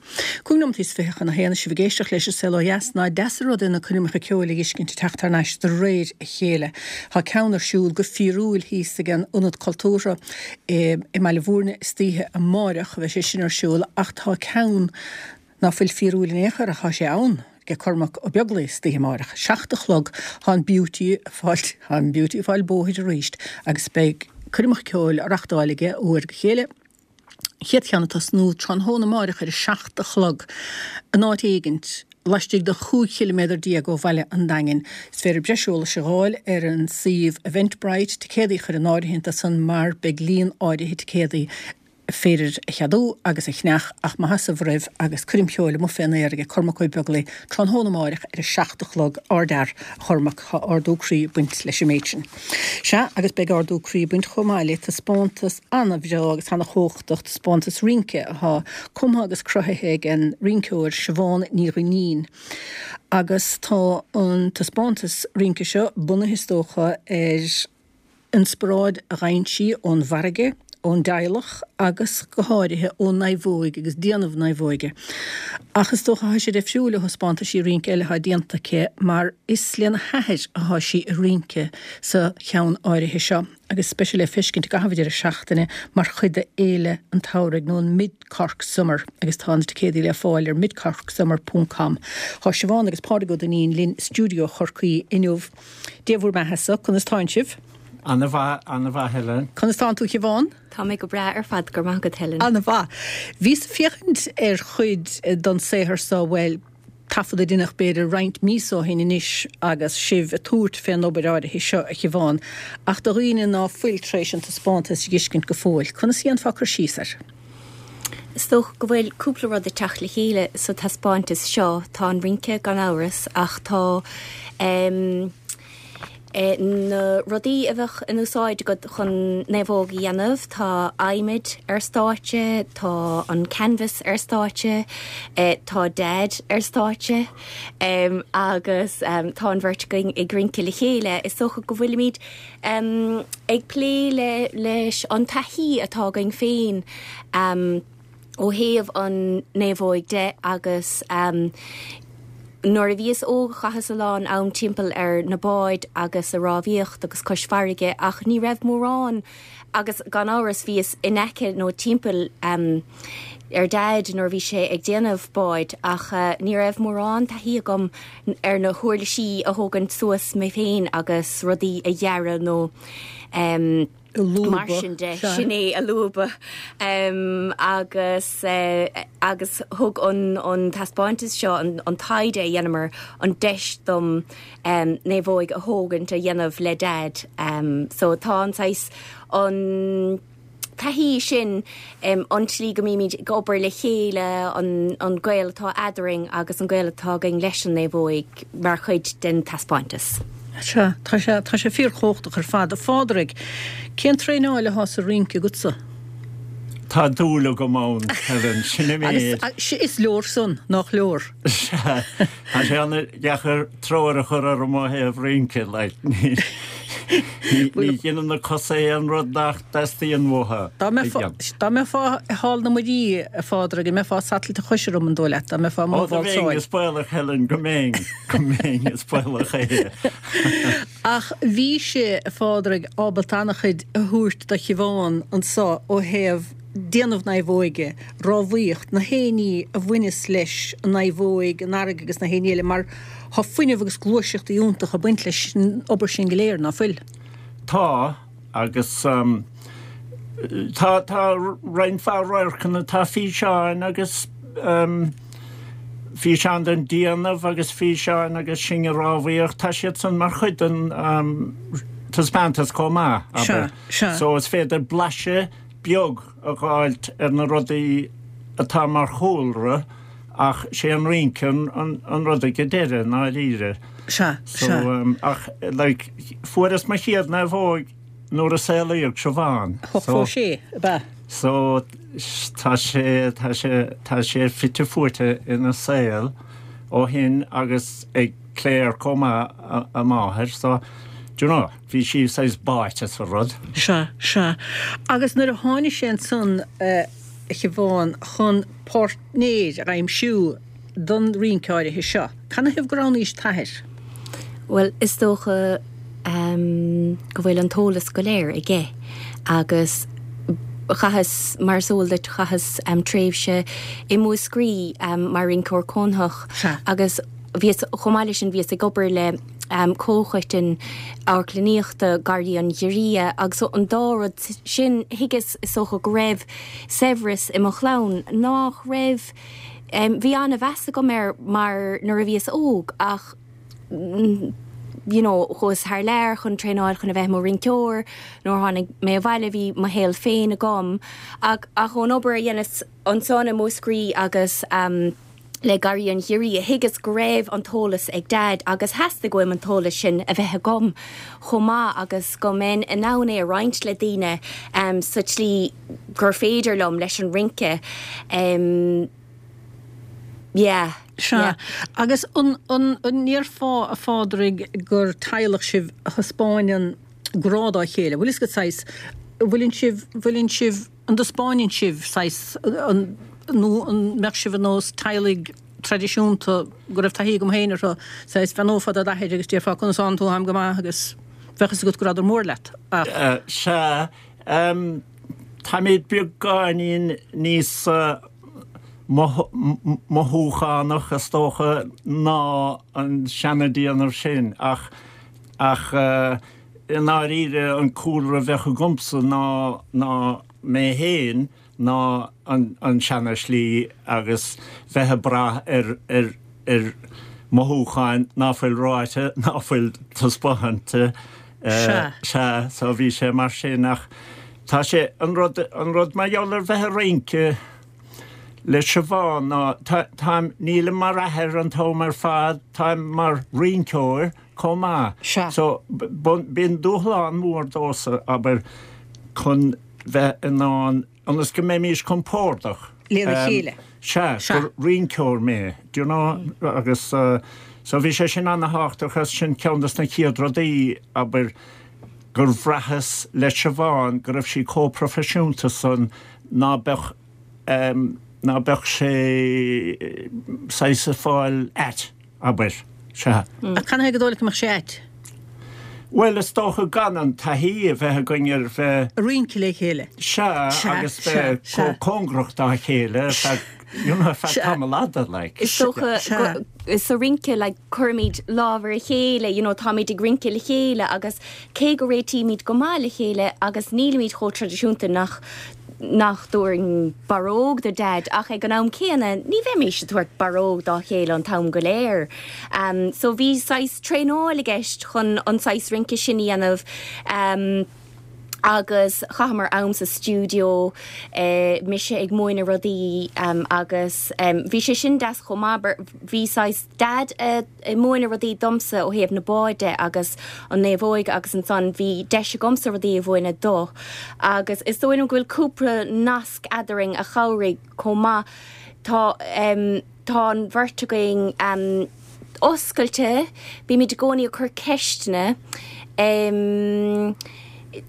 S1: 25 nóimeataí chun a haon is sibh ag éisteacht leis an Saol Ó Dheas. Nach deas an rud é na coirmeacha ceoil a fheiscint ag teacht thar n-ais de réir a chéile. Tá ceann ar siúl go fíorúil thíos ag an Ionad Cultúrtha i mBaile Bhúirne istoíche amáireach a bheidh sé sin ar siúl ach tá ceann ná fuil fíorúil in aon chor ach tá sé ann ag Cormac Ó Beaglaoich istoíche amáireach. 7 a chlog tá an Beauty ag fáil tá an Beauty ag fáil bóthair arís agus beidh coirmeacha ceoil á reachtáil aige ó uair go chéile. Chéad cheann ag tosnú tráthnóna amáireach ar a 7 a chlog in áit éigint laistigh de 15 chiliméadar ó bhaile an Daingin. Is féidir breis eolais a dh'fháil ar an suíomh Eventbrite, ticéadaí a chur in áirithint ansan mar beidh líon áirithe ticéadaí. Féidir a cheadú agus a cheannach ach maith asaibh roimh agus coirm cheoil amuigh fén aer age Cormac Ó Beaglaoich tráthnóna amáireach ar a 7 a chlog. Ardfhear, a Chormaic, tá ardú croí ag baint leis an méid sin. Sea, agus beidh ardú croí ag baint chomh maith le taispeántas ana-bhreá agus ana-chumhachtach, taispeántas rince atá cumtha agus cruthaithe ag an rinceoir Siobhán Ní Dhuinnín. Agus tá an taispeántas rince seo bunaithe is dócha ar inspioráid a gheibheann sí ón bhfarraige, ón dteaghlach agus go háirithe ón naomhóig agus déanamh naomhóige. Ach is dócha thá sé difriúil ó thaispeántaisí rince eile athá déanta aici mar is lena hathair athá sí ag rince sa cheann áirithe seo agus beidh sé le feiscint i gcaitheamh an deireadh seachtaine mar chuid de Fhéile an tSamhraidh nó an Mid Cork Summer agus tá na ticéadaí le fáil ar midcorksummer ponc com. Thá Siobhán agus Pádraig Ó Duinnín linn i stiúideo Chorcaí inniu. Dia bhur mbeatha-sa, conas tánn sibh?
S5: Ana mhaith, ana mhaith Helen.
S1: Conas tánn tú Shiobhán?
S6: Tá mé go breá ar fad, go raibh maith agat Helen.
S1: Ana mhaith. Bhíos ag féachaint ar chuid don saothar so, bhuel, taifead a deineadh b'fhéidir roinnt míosa ó shin anois agus sibh ag tabhairt fén obair áirithe seo, a Shiobhán, ach do dhaoine ná fuil tar éis an taispeántas a dh'fheiscint go fóill, conas a dhéanfá cur síos air?
S6: Is dócha go bhfuil cúpla rud ag teacht le chéile sa taispeántas seo. Tá an rince gan amhras ach tá na rudaí a bheadh in úsáid agat chun naomhóg a dhéanamh, tá adhmaid ar stáitse, tá an canvas ar stáitse, tá Daid ar stáitse agus tá an bheirt againn ag rince le chéile. Is dócha go bhfuilimid Ag plé leis an taithí atá againn féin ó thaobh an naomhóig de agus nuair a bhíos óg chaitheas a lán am timpeall ar na báid agus ag rámhaíocht agus cois farraige ach ní raibh mórán agus gan amhras bhíos in aice nó timpeall ar Daid nuair a bhí sé ag déanamh báid ach ní raibh mórán taithí agam ar na huirlisí a thógaint suas mé féin agus rudaí a ghearradh nó mar sin de. Sin é a lúbadh agus agus thug an an taispeántas seo an taighde a dheineamar an deis dom naomhóig a thógaint a dhéanamh le Daid. So tá an saghas an taithí sin, an tslí go mbímid ag obair le chéile, an gaol atá eadrainn agus an gaol atá againn leis an naomhóig mar chuid den taispeántas.
S1: Sea, tá sé, tá sé fíorchumhachtach ar fad. A Phádraig, cén traenáil atá sa rince agatsa?
S5: Tá dúil agam ann, Helen, sin an méid.
S1: Agus is leor san, nach leor?
S5: Sea, tá sé an-deacair treoir a chur orm ó thaobh rince, like, ní dheineann na cosa aon rud nach dteastaíonn uathu
S1: a dhéanamh. Dá mbeifeá i Hall na Muirí, a Phádraig, an mbeifeá ag satailt a chois orm, an dóigh leat, dá mbeifeá i mo
S5: Ó, dá mbeinn,
S1: válsáil?
S5: is baolach, Helen, go mbeinn, go mbeinn, is baolach é.
S1: Ach bhí sé, a Phádraig, ábalta an-chuid a thabhairt do Shiobhán anso ó thaobh déanamh naomhóige, rámhaíocht, na haon ní a bhaineas leis an naomhóig, an fharraige agus na haon ní eile, mar thá fuinneamh agus gluaiseacht iontach ag baint leis an obair sin go léir, ná fuil?
S5: Tá, agus tá, tá roinnt mhaith radharcanna, tá físeáin agus físeáin den déanamh agus físeáin agus sinn ag rámhaíocht, tá siad san mar chuid den taispeántas chomh maith, abair.
S1: Sea, sea.
S5: So is féidir blaiseadh beag a dh'fháilt ar na rudaí atá mar chúlra ach sé an rince an rud ag an deireadh, i ndáiríre.
S1: Sea, sea.
S5: So, ach, like, fuaireas mo chéad naomhóig nuair a saolaíodh Siobhán.
S1: So, 86, ab ea?
S5: So, tá sé, tá sé, tá sé fite fuaite ina saol ó shin agus ag Claire chomh maith, a máthair, so, do you know. Bhí sí saghas báite sa rud.
S1: Sea, sea. Agus nuair a tháinig sé ansan, a Shiobhán, chun páirtnéir a aimsiú don rince áirithe seo, canathaobh gur roghnaís t'athair?
S6: Bhuel, is dócha go bhfuil an t-eolas go léir aige agus chaitheas, mar is eol duit, chaitheas tréimhse i Múscraí mar rinceoir cónaitheach agus bhíos, chomh maith leis sin, bhíos ag obair le Comhchoiteann Amharclannaíochta Garraí an Ghiorria agus an dá rud sin, thuigeas, is dócha, go raibh saibhreas i mo chlann nach raibh, bhí an-mheas agam air mar nuair a bhíos óg ach. you know, chuas thar lear chun traenáil chun a bheith i mo rinceoir. Nuair a tháinig mé abhaile bhí mo shaol féin agam ach ach ón obair a dheineas ansan i Múscraí agus ehm le Garraí an Ghiorria thuigeas go raibh an t-eolas ag Dad agus theastaigh uaim an t-eolas sin a bheith agam chomh maith agus go mbeinn in ann é a roinnt le daoine ehm sa tslí gur féidir liom leis an rince. Ehm yeah.
S1: Sea.
S6: Yeah.
S1: Agus an an an ndéarfá, a Phádraig, gur teaghlach sibh a thaispeáineann grá dá chéile? Bhfuil fhios agat saghas, bhfuileann sibh, bhfuileann sibh, an dtaispeáineann sibh saghas an, nó an mbeadh sibh ar nós teaghlaigh traidisiúnta go raibh taithí agam féin orthu, saghas bheannófá do d'athair agus déarfá conas tánn tú, táim go maith agus bheadh fhios agat go rabhadar mór leat
S5: ach. Sea, táimid beagáinín níos mothúchánach is dócha ná an seanadéanamh sin ach ach i ndáiríre an cúlra a bheadh agamsa ná ná mé féin ná an an seana-shlí agus bheith ag brath ar ar ar mothúcháin ná fuil ráite ná fuil taispeánta.
S1: Sea.
S5: Sea, so bhí sé mar sin ach tá sé, an rud, an rud mar gheall ar bheith ag rince le Siobhán ná tá, táim, nílim mar athair an t-am ar fad, táim mar rinceoir chomh maith.
S1: Sea.
S5: So bíonn dúshlán mór domhsa, abair, chun bheith in ann, ionas go mbeimís compordach.
S1: Lena chéile.
S5: Sea, gur rinceoir mé, do you know, agus so bhí sé sin ana-thábhachtach agus sin ceann des na chéad rudaí, abair, gur bhraitheas le Siobhán go raibh sí chomh proifisiúnta san ná beadh, ná beadh sé saghas ag fáil ait. abair. Sea.
S1: Ach canathaobh gur dóigh leat go mbeadh sé ait?
S5: Bhuel, is dócha gan an taithí a bheith againn ar bheith.
S1: Ag rince le chéile.
S5: Sea, agus bheith chomh cóngarach dá chéile ar feadh, you know, ar feadh tamall fhada, like.
S6: Is dócha go, sa rince, like, cuirimid lámh ar a chéile, you know, táimid ag rince le chéile agus cé go réitímid go maith le chéile agus nílimid chomh traidisiúnta nach nach dtabharfainn barróg do Dhaid ach ag an am céanna ní bheimis ag tabhairt barróg dá chéile an t-am go léir. So bhí saghas traenáil i gceist chun an saghas rince sin a dhéanamh agus chaitheamar am sa stiúideo, mise ag múineadh rudaí agus bhí sé sin deas chomh maith, bhí saghas Daid ag múineadh rudaí domsa ó thaobh na báid de agus an naomhóig agus ansan bhí deis agamsa rudaí a mhúineadh dó agus is dóigh liom go bhfuil cúpla nasc eadarainn a chabhraigh chomh maith. Tá tá an bheirt againn oscailte, bímid i gcónaí ag cur ceisteanna.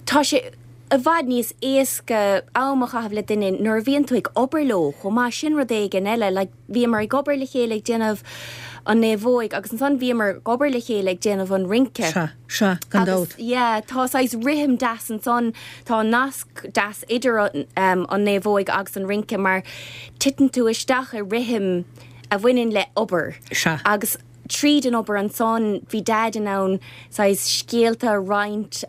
S6: Tá sé i bhfad níos éasca am a chaitheamh le duine nuair a bhíonn tú ag obair leo chomh maith, sin rud éigin eile like. Bhíomar ag obair le chéile ag déanamh an naomhóig agus ansan bhíomar ag obair le chéile ag déanamh an rince.
S1: Sea, sea, gan
S6: Agus,
S1: dabht.
S6: yeah, tá saghas rithim deas ansan, tá nasc deas idir an naomhóig agus an rince mar titeann tú isteach i rithim a bhaineann le obair.
S1: Sea.
S6: Agus tríd an obair ansan bhí Daid in ann saghas scéalta a roinnt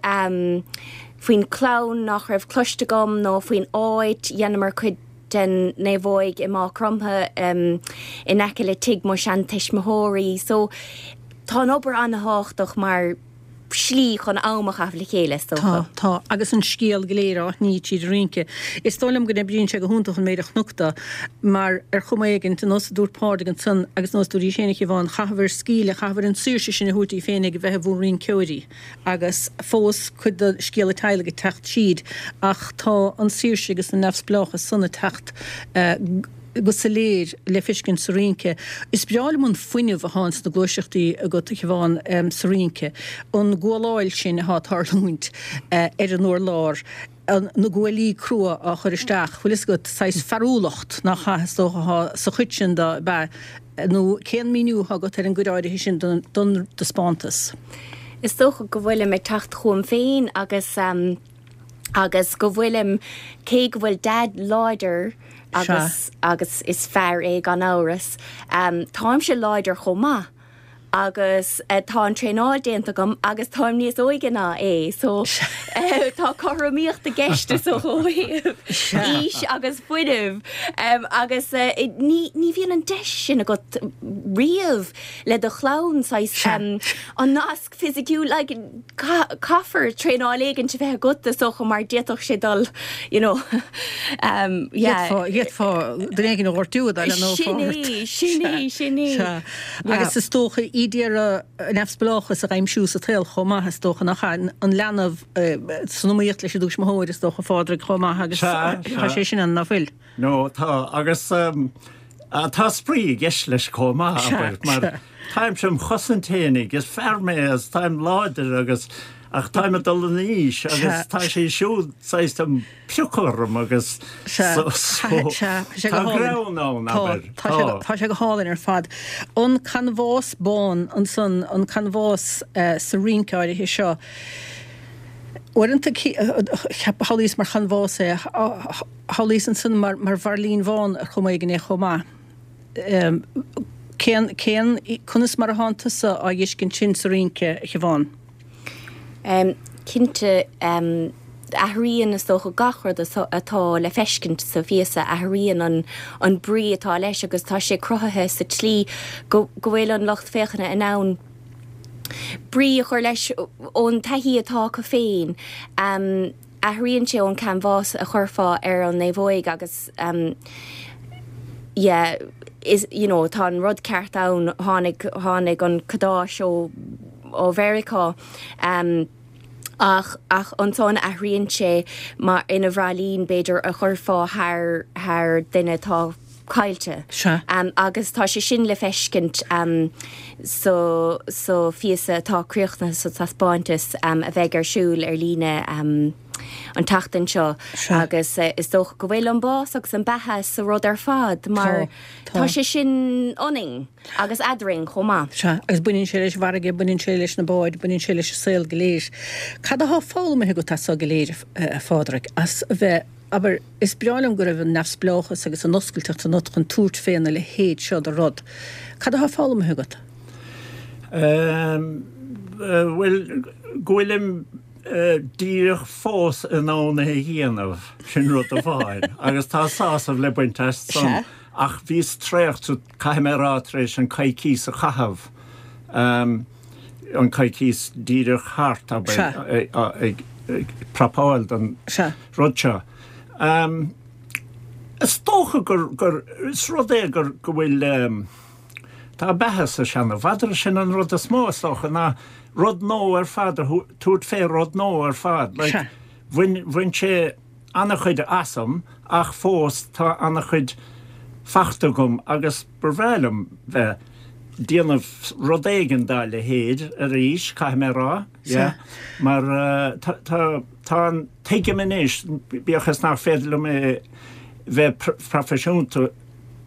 S6: faoin chlann nach raibh cloiste agam nó faoin áit, dheineamar cuid den naomhóig i Maigh Chromtha in aice le tigh mo sheantuismitheoirí. So tá an obair an-thábhachtach mar shlí chun am a chaitheamh le chéile, is
S1: dócha.
S6: Tá,
S1: tá. Agus an scéal go léir á shní tríd an rince. Is dóigh liom go n-oibríonn sé go hiontach an méid a chonac de, mar ar chuma éigint, ar nós a dúirt Pádraig ansan agus nós a dúirt í féin a Shiobhán, chaitheabhair scaoileadh, chaitheabhair an tsaoirse sin a thabhairt daoibh féinig a bheith i bhur rinceoirí. agus fós cuid de scéal an teaghlaigh ag teacht tríd ach tá an saoirse agus an neamhspleáchas san ag teacht go soiléir le feiscint sa rince. Is breá liom an fuinneamh atá ins na gluaiseachtaí agat, a Shiobhán, sa rince, an gualáil sin atá ag tarlúint ar an urlár. na guaillí crua á chur isteach, bhfuil fhios agat, saghas fearúlacht nach ea, is dócha, atá sa chuid sin de, ab ea? Nó cén míniú atá agat ar an gcuid áirithe sin den taispeántas?
S6: Is dócha go bhfuilim ag teacht chugam féin agus agus go bhfuilim, cé go bhfuil Daid láidir agus agus is fear é gan amhras, táimse láidir chomh maith. Agus tá an traenáil déanta agam agus táim níos óige ná é so tá cothromaíocht i gceist is dócha ó thaobh aois agus fuinnimh agus ní ní bhíonn an deis sin agat riamh le do chlann saghas an nasc fisiciúil like caithfear traenáil éigin a bheith agat is dócha mar d'fhéadfadh sé dul you know
S1: yeah. D'fhéadfá duine éigin a ghortú a dul nó
S6: Sin é, sin é, sin é.
S1: Sea. Agus is dócha iad ag iarraidh neamhspleáchas a aimsiú sa tsaol chomh maith is dócha nach ea an leanbh san iomaíocht leis an dtuismitheoir is dócha Phádraig chomh maith agus tá sé sin ann nach bhfuil?
S5: No, tá, agus tá spraoi i gceist leis chomh maith, abair, mar táimse im chosaint fhéinig, is fear mé agus táim láidir agus, ach táim ag dul in aois agus tá sí siúd saghas ag piocadh orm agus so, tá greann ann, abair,
S1: tá. Tá sé go hálainn ar fad. An canbhás bán ansan, an canbhás sa rince áirithe seo, uaireanta shamhlaíos mar chanbhás é, Shamhlaíos ansan mar mheirlín bhán ar chuma éigin é chomh maith. Cén, cén, conas mar atánn tusa á dh'fheiscint sin sa rince, a Shiobhán?
S6: Cinnte, athraíonn is dócha gach rud atá le feiscint sa phíosa, athraíonn an, an brí atá leis agus tá sé cruthaithe sa tslí go, go bhfuil an lucht féachana in ann brí a chur leis ón taithí atá acu féin. Athraíonn sé ón canbhás a chuirfeá ar an naomhóig agus yeah is you know tá an rud ceart ann, tháinig, tháinig an cadáis ó, ó Mheiriceá ach, ach ansan athraíonn sé mar ina bhraillín b'fhéidir a chuirfeá thar, thar duine atá caillte.
S1: Sea.
S6: Agus tá sé sin le feiscint sa sa phíosa atá críochnaithe sa taispeántas a bheidh ar siúl ar líne an tseachtain seo.
S1: Sea.
S6: Agus is dócha go bhfuil an bás agus an beatha sa rud ar fad mar
S1: Tá.
S6: tá sé sin ionainn agus eadrainn chomh maith.
S1: Sea, agus baineann sé leis an bhfarraige, baineann sé leis na báid, baineann sé leis an saol go léir. Cad atá foghlamtha agat as seo go léir, a Phádraig, as a bheith, abair, Is breá liom go raibh an neamhspleáchas agus an oscailteacht ionat chun tabhairt féna leithéid seo de rud. Cad atá foghlamtha agat?
S5: Bhuel, go bhfuilim díreach fós in ann é a dhéanamh, sin rud amháin, agus tá sásamh le baint as san. Ach bhíos traochta, caithfidh mé a rá, tar éis an coicíos a chaitheamh, an coicíos díreach thart, abair, ag prapáil don rud seo. Is dócha gur, gur, is rud é gur, go bhfuil, tá beatha sa seana-mhadra, sin an rud is mó is dócha, ná rud nua ar fad a tabhairt fé rud nua ar fad. Like, bhain, bhain sé ana-chuid asam ach fós tá ana-chuid fachta agam agus ba bhreá liom bheith déanamh rud éigin dá leithéid arís, caithfidh mé a rá, yeah, mar tá, tá, tá an, tuigim anois, bíodh is nach féidir liom é bheith proifisiúnta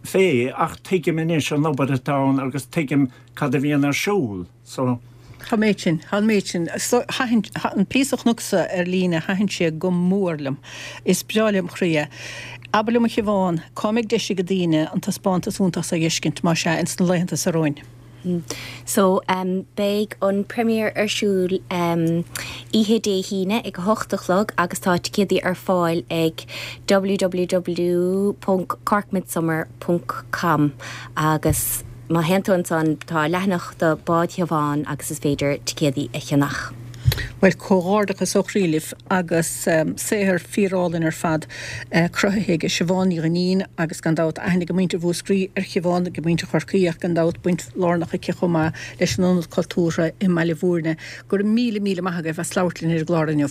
S5: fé, ach tuigim anois an obair atá ann agus tuigim cad a bhíonn ar siúl. So.
S1: Tá an méid sin, tá an méid sin. Thaitin, an píosa a chonacsa ar líne, thaitin sé go mór liom. Is breá lem chroí é. Abair liom a Shiobhán, cá mbeidh deis ag daoine an taispeántas iontach so a dh'fheiscint, más ea, ins na laethanta so romhainn?
S6: So, beidh an premiere ar siúl oíche Dé hAoine ag a hocht a chlog agus tá ticéadaí ar fáil ag www ponc corkmidsummer ponc com agus má théann tú ansan tá leathanach do Bád Shiobhán agus is féidir ticéadaí a cheannach.
S1: Bhuel, comhghairdeachas ó chroí libh agus saothar fíorálainn ar fad cruthaithe ag Siobhán Ní Dhuinnín agus gan dabht aithne ag muintir Mhúscraí ar Shiobhán, ag muintir Chorcaí ach gan dabht baint lárnach aici chomh maith leis an Ionad Cultúrtha i mBaile Bhúirne. Go raibh míle míle maith agaibh as labhairt linn ar an gclár inniu.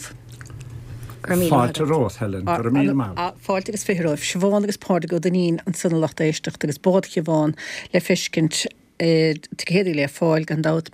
S6: Go raibh míle maith
S5: Fáilte
S6: agat.
S5: romhat, Helen. Go raibh míle maith agat.
S1: Fáilte agus 20 romhaibh. Siobhán agus Pádraig Ó Duinnín ansan a lucht éisteachta agus Bád Shiobhán le feiscint, ticéadaí le fáil gan dabht.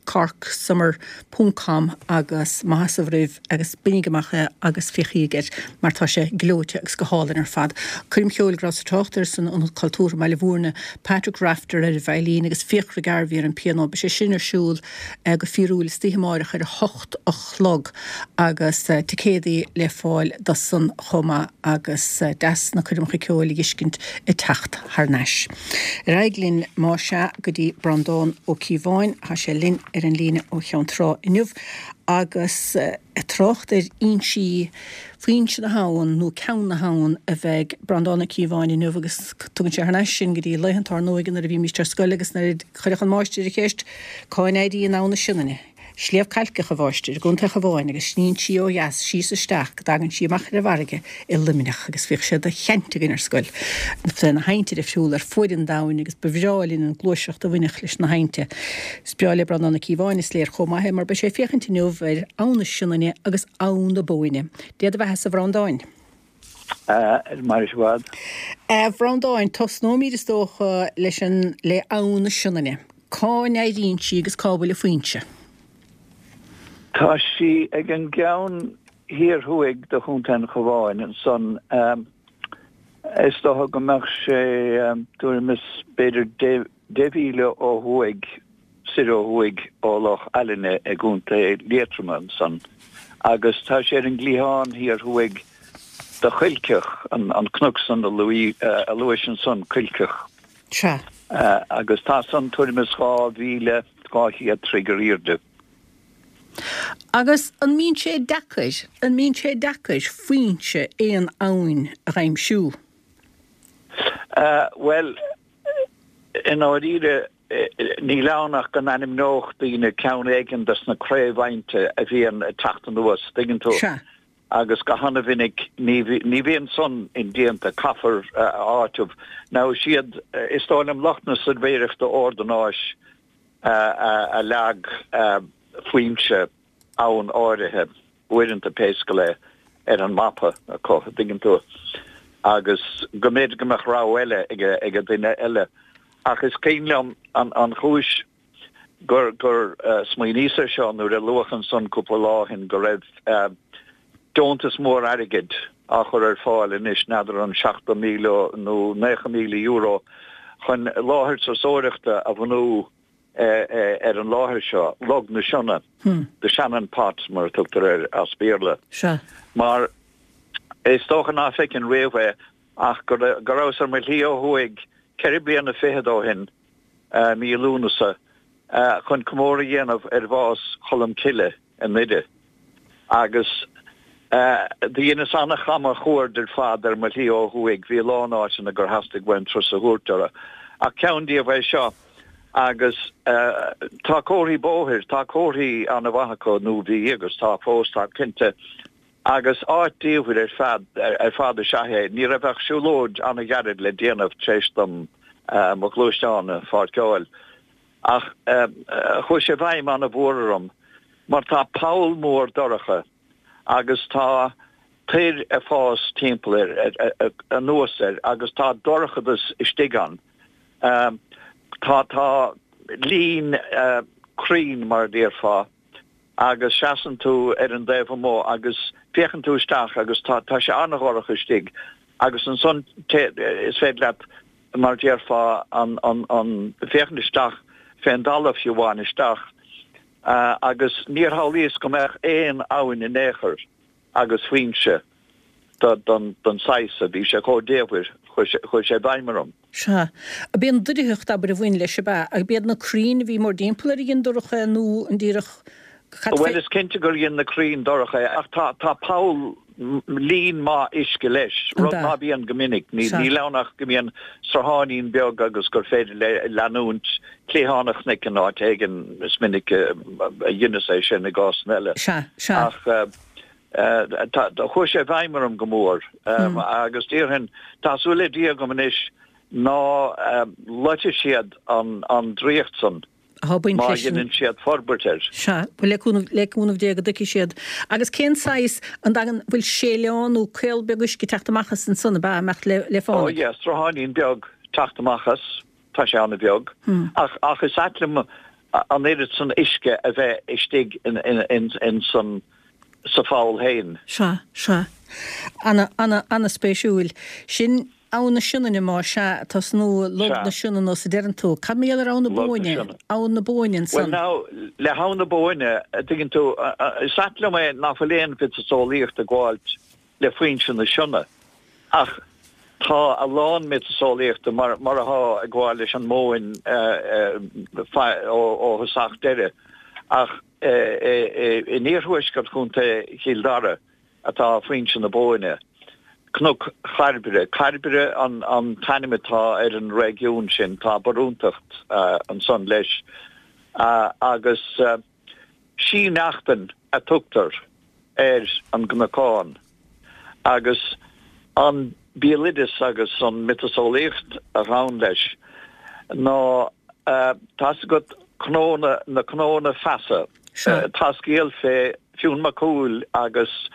S1: Corksummer ponc com agus maith as a bhroimh agus bainigí amach é agus féachaigí air mar tá sé gleoite agus go hálainn ar fad. Coirm cheoil go rabhas ag trácht air san Ionad Cultúrtha i mBaile Bhúirne, Patrick Rafter ar an veidhlín agus Fiachra Garvey ar an pianó. Beidh sé sin ar siúl go fíorúil istoíche amáireach ar a hocht a chlog agus ticéadaí le fáil do san chomh maith agus deas na coirmeacha ceoil a dh'fheiscint ag teacht thar n-ais. Ar aghaidh linn más ea go dtí Breandán Ó Cíobháin, tá sé linn ar an líne ó Cheann Trá inniu agus ag trácht ar fhoinsí, foinse na habhann nó ceann na habhann a bheidh Breandán Ó Cíobháin inniu agus tugann sé thar n-ais sinn go dtí laethanta ár n-óige nuair a bhímíst ar scoil agus nuair a chuirfeadh an máistir an cheist cá n-éiríonn Abhainn na Sionainne? Sliabh Cailceach, a mháistir, i gContae an Chabháin agus sníonn sí ó dheas síos isteach go dtagann sí amach ar an bhfarraige i Luimneach agus bhíodh sé de sheaint againn ar scoil fé na haibhnte difriúla ar fuaid an domhain agus ba bhreá linn an ghluaiseacht a bhainfeadh leis na haibhnte. Is breá le Breandán Ó Cíobháin, is léir chomh maith é mar beidh sé ag féachaint inniu ar Abhainn na Sionainne agus Abhainn na Bóinne. Dé do bheatha-sa, a Bhreandáin.
S7: Maire i bhfad.
S1: A Bhreandáin, tosnóimid is dócha leis an, le Abhainn na Sionainne. Cá n-éiríonn sí agus cá bhfuil a foinse?
S7: Tá sí ag an gceann thiar thuaidh de Chontae an Chabháin ansan. Is dócha go mbeadh sé tuairim is b'fhéidir deich mhíle ó thuaidh, soir ó thuaidh ó Loch Ailinne i gContae Liatroma ansan agus tá sé ar an gcliathán thiar thuaidh de Chuilceach, an cnoc san a luais ansan, Cuilceach.
S1: Sea.
S7: Agus tá san tuairim is 2,200 troigh ar aoirde.
S1: Agus an mbíonn sé deacair, an mbíonn sé deacair foinse aon abhainn a dh'aimsiú?
S7: Bhuel, i ndáiríre, níl ann ach go n-ainmneodh daoine ceann éigin des na craobh-aibhnte a bhíonn ag teacht anuas, tuigeann tú?
S1: Sea.
S7: Agus go hana-mhinic ní bhíonn san indéanta, caithfear a áiteamh. Now is iad, is dóigh liom, lucht na suirbhéireachta ordanáis a leag foinse abhann áirithe, uaireanta pé scéal é, ar an mapa acu, an dtuigeann tú, agus go mb'fhéidir go mbeadh rogha eile ag an duine eile. Ach is cuimhin liom an chúis gur gur smaoiníos ar seo nuair a luadh ansan cúpla lá ó shin go raibh deontas mór airgid á chur ar fáil anois, n'fheadar an €70,000 nó €90,000, chun láthair turasóireachta a bhunú ar an láthair seo, Log na Sionna, The Shannon Pot mar a tugtar air as Béarla.
S1: Sea.
S7: Mar is dócha ná feicinn riamh é ach go rabhas ar mo shlí ó thuaidh ceithre bliana fichead ó shin, mí Lúnasa, chun comóradh a dhéanamh ar bhás Cholm Cille i nDoire. Agus do dheineas an-chamachuaird ar fad ar mo shlí ó thuaidh, bhí a lán áiteanna gur theastaigh uaim turas a thabhairt orthu, ach ceann díobh é seo. Agus tá comharthaí bóthair, tá comharthaí an-mhaith acu, nó bhí agus tá fós, táim cinnte, Agus áit diamhair ar fad ar fad is ea é. Ní raibh ach siúlóid an-ghairid le déanamh tar éis dom mo ghluaisteán a pháirceáil. Ach chuaigh sé i bhfeidhm an-mhór orm mar tá poll mór dorcha agus tá toir ag fás timpeall air, anuas air agus tá dorchadas istigh ann. Tá tá líon crainn mar a déarfá. agus seasann tú ar an dtaobh amuigh agus féachann tú isteach agus tá, tá sé an-dhorcha istigh agus ansan is féidir leat, mar a déarfá, an, an, an, féachaint isteach fén dtalamh fiú amháin isteach agus níor shamhlaíos go mbeadh aon abhainn in aon chor agus foinse don saghas so. Bhí sé chomh diamhair, chuir sé i bhfeidhm orm.
S1: Sea. Ab é an doircheacht, abair, a bhain leis, ab ea? Ab iad na crainn a bhí mórdtimpeall air a dhein dorcha é nó an díreach
S7: cad fé. Bhuel, is cinnte gur dhein na crainn dorcha é, ach tá, tá poll, líon maith uisce leis, rud ná bíonn go minic. Níl ann ach go mbíonn srutháinín beag agus gur féidir le leanúint cliathán an chnoic in áit éigin, is minic a dheineas é sin i gcásanna eile.
S1: Sea, sea.
S7: Ach. Chuaigh sé i bhfeidhm orm go mór agus déarfainn, tá súil le Dia agam anois ná loitfidh siad an draíocht san má dheineann siad forbairt air.
S1: Sea, bhuel le cúnamh, le cúnamh Dé go dtuigfidh siad. Agus cén saghas, an dtagann, bhfuil séileán nó caol beag uisce ag teacht amach as ansan, ab ea, ag imeacht le, le
S7: fánaidh? Ó yeah, srutháinín beag teacht amach as, tá sé an-bheag. Ach, ach is ait liom. an oiread san uisce a bheith istigh in san sa pholl fhéin.
S1: Sea, sea. Ana, ana, ana-spéisiúil. Sin Abhainn na Sionainne má sea, tosnú Log na Sionainne is a deireann tú. Cad mar gheall ar Abhainn na Bóinne? Abhainn na Bóinne
S7: ansan. Bhuel now, le hAbhainn na Bóinne, a dtuigeann tú, is ait liom é nach bhfuil aon mhiotaseolaíocht ag gabháilt le foinse na Sionna, ach tá a lán miotaseolaíochta mar mar atá ag gabháil leis an mBóinn ó thosach deireadh, ach in iarthuaisceart Chontae Chill Dara, atá foinse na Bóinne. Cnoc Chairbre, Cairbre an t-ainm atá ar an réigiún sin, tá barúntacht ansan leis, agus Sí Neachtain a tugtar ar an gcnocán, agus an béaloideas agus an miotaseolaíocht a ghabhann leis ná, tá's agat, cnónna, na cnónna feasa. Tá scéal fé Fionn Mac Cumhaill agus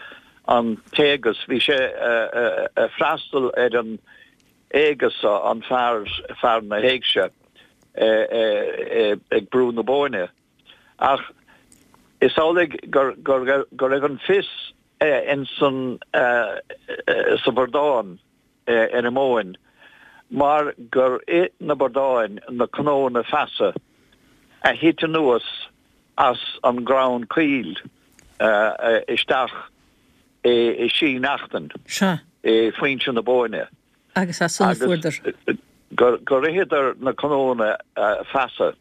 S7: an t-éigeas. Bhí sé ag freastal ar an éigeas, an fear, fear na héigse, ag Brú na Bóinne. Ach is amhlaidh go raibh an fios insan, sa bhradán ar an mBóinn mar gur ith na bradáin na cnónna feasa a thit anuas as an gcrann caol isteach i Sí Neachtain, i foinse na Bóinne.
S1: Agus as san a fuaireadar.
S7: Gur itheadar na cnónna feasa.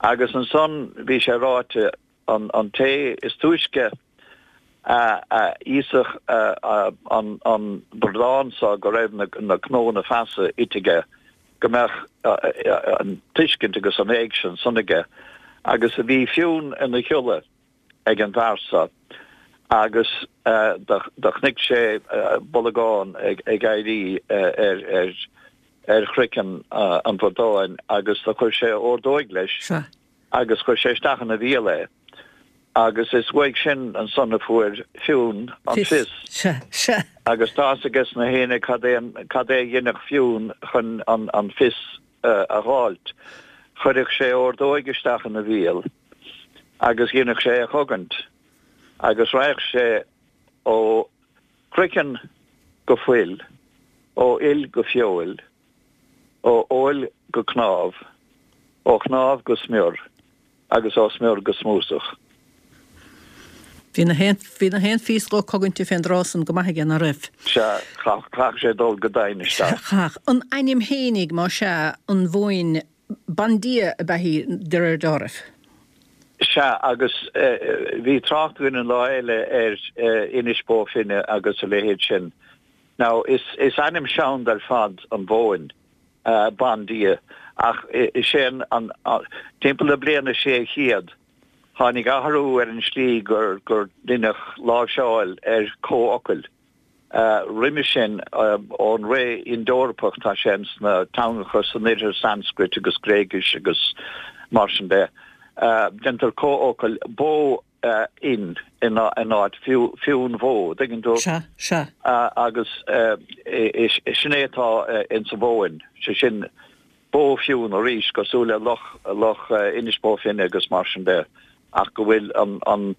S7: Agus ansan bhí sé ráite An té is túisce a íosfadh an bradán so go raibh na cnónna feasa ite aige, go mbeadh an tuiscint agus an éigse ansan aige. Agus bhí Fionn ina chodladh ag an bhfear so agus do chonaic sé bolgán ag éirí ar chraiceann an bhradáin agus do chuir sé ordóig leis. agus chuir sé isteach ina bhéal é, agus is uaidh sin ansan a fuair Fionn an fios.
S1: Sea, sea.
S7: Agus tá's ages na héinne cad é an, cad é a dheineadh Fionn chun an, an fios a dh'fháilt. Chuireadh sé ordóig isteach ina bhéal agus dheineadh sé é a chogaint, agus raghadh sé ó chraiceann go fuil, ó fhuil go feoil, ó fheoil go cnámh, ó chnámh go smior agus ó smior go smúsach.
S1: Bhí na haon, bhí na haon phíosa dhó cogainte fén dtráth san go maith aige, ná raibh?
S7: Sea, chaithfeadh sé dul go doimhin isteach.
S1: Chaithfeadh. An ainm fhéinig, má sea, an Bhóinn, bandia ab ea í, de réir deáraimh.
S7: Sea, agus bhí trácht againn an lá eile ar Inis Bó Finne agus a leithéid sin. Now, is ainm seanda ar fad an Bhóinn, bandia, ach is é an, timpeall na bliana 600, tháinig athrú ar an slí gur deineadh láimhseáil ar comhfhocail. Roimhe sin, ón ré Ind-Eorpach, tá sé ins na teangacha san oirthear, Sanscrait agus Gréigis agus mar sin de, déantar comhfhocail bó fhinn in áit fionn bhó, dtuigeann tú?
S1: Sea, sea.
S7: Agus sin é atá ins an Bhóinn, sé sin Bó Fionn arís, cosúil le Loch, Loch Inis Bó Finne agus mar sin de, ach go bhfuil an, an,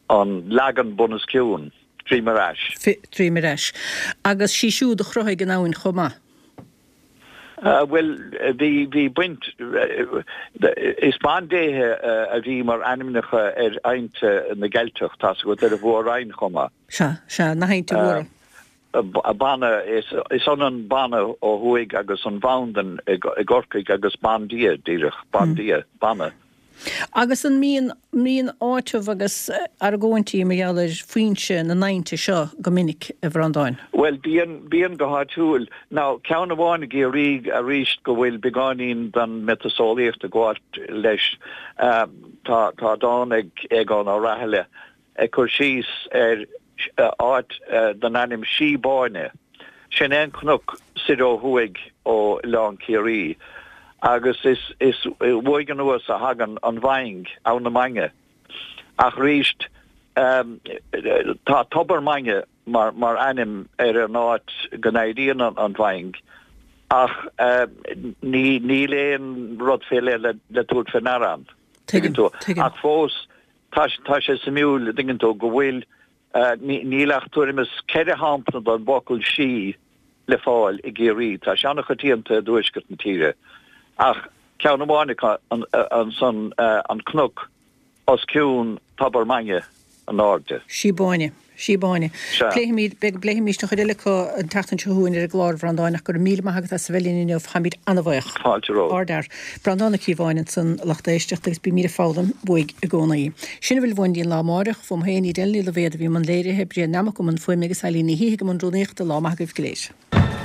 S7: an leagan bunoscionn, droim ar ais.
S1: Droim ar ais. Agus sí siúd a chruthaigh an abhainn chomh maith.
S7: Bhuel, bhí, bhí baint, is bandéithe a bhí mar ainmneacha ar aibhnte na gCeilteach, tá's agat, ar an Mhór-Roinn chomh maith.
S1: Sea, sea, na haibhnte mhóra.
S7: Banna, is ionann Banna ó thuaidh agus an Bhandan i gCorcaigh agus bandia, díreach, bandia, Banna.
S1: Agus an mbíonn, mbíonn áiteamh agus argóintí mar gheall ar foinse na n-aibhnte seo go minic, a Bhreandáin?
S7: Bhuel, bíonn, bíonn go háitiúil. Now, ceann amháin i gCiarraí arís go bhfuil beagáinín den mhiotaseolaíocht ag gabháilt leis, tá, tá dán ag Aogán Ó Rathaille ag cur síos ar áit den ainm Sí Báine. Sin é an cnoc soir ó thuaidh ó Oileán Ciarraí agus is uaidh anuas a thagann an Mhaing, Abhainn na Mainge. Ach arís tá Tobar Mainge mar ainm ar an áit go n-éiríonn an Mhaing ach níl aon rud fé leith le tabhairt fé ndeara ann.
S1: Tuigim,
S7: Tuigeann tú?
S1: tuigim.
S7: Ach fós, tá, tá sé suimiúil, a dtuigeann tú, go bhfuil, níl ach tuairim is 4 shampla den bhfocal sí le fáil i gCiarraí. Tá sé an-choitianta i dtuaisceart na tíre. Ach ceann amháin acu ansan, an cnoc os cionn Tobar Mainge in airde.
S1: Sí Báine. Sí Báine.
S7: Sea.
S1: Pléifimid, beidh, pléifimid an chuid eile acu an tseachtain seo chugainn ar an gclár, a Bhreandáin, ach go raibh míle maith agat as a bheith linn inniu. Táimid an-bhuíoch.
S7: Fáilte romhat.
S1: Ardfhear. Breandán Ó Cíobháin ansan, a lucht éisteachta, agus bímid ag foghlaim uaidh i gcónaí. Sin a bhfuil uainn go dtí an lá amáireach. Fúm féin, Edel Ní Loibhéad a bhí i mbun léirithe, Brian Nammock i mbun fuaime agus Eileen Ní Shíthigh i mbun rúnaíochta. Lá maith agaibh go léir.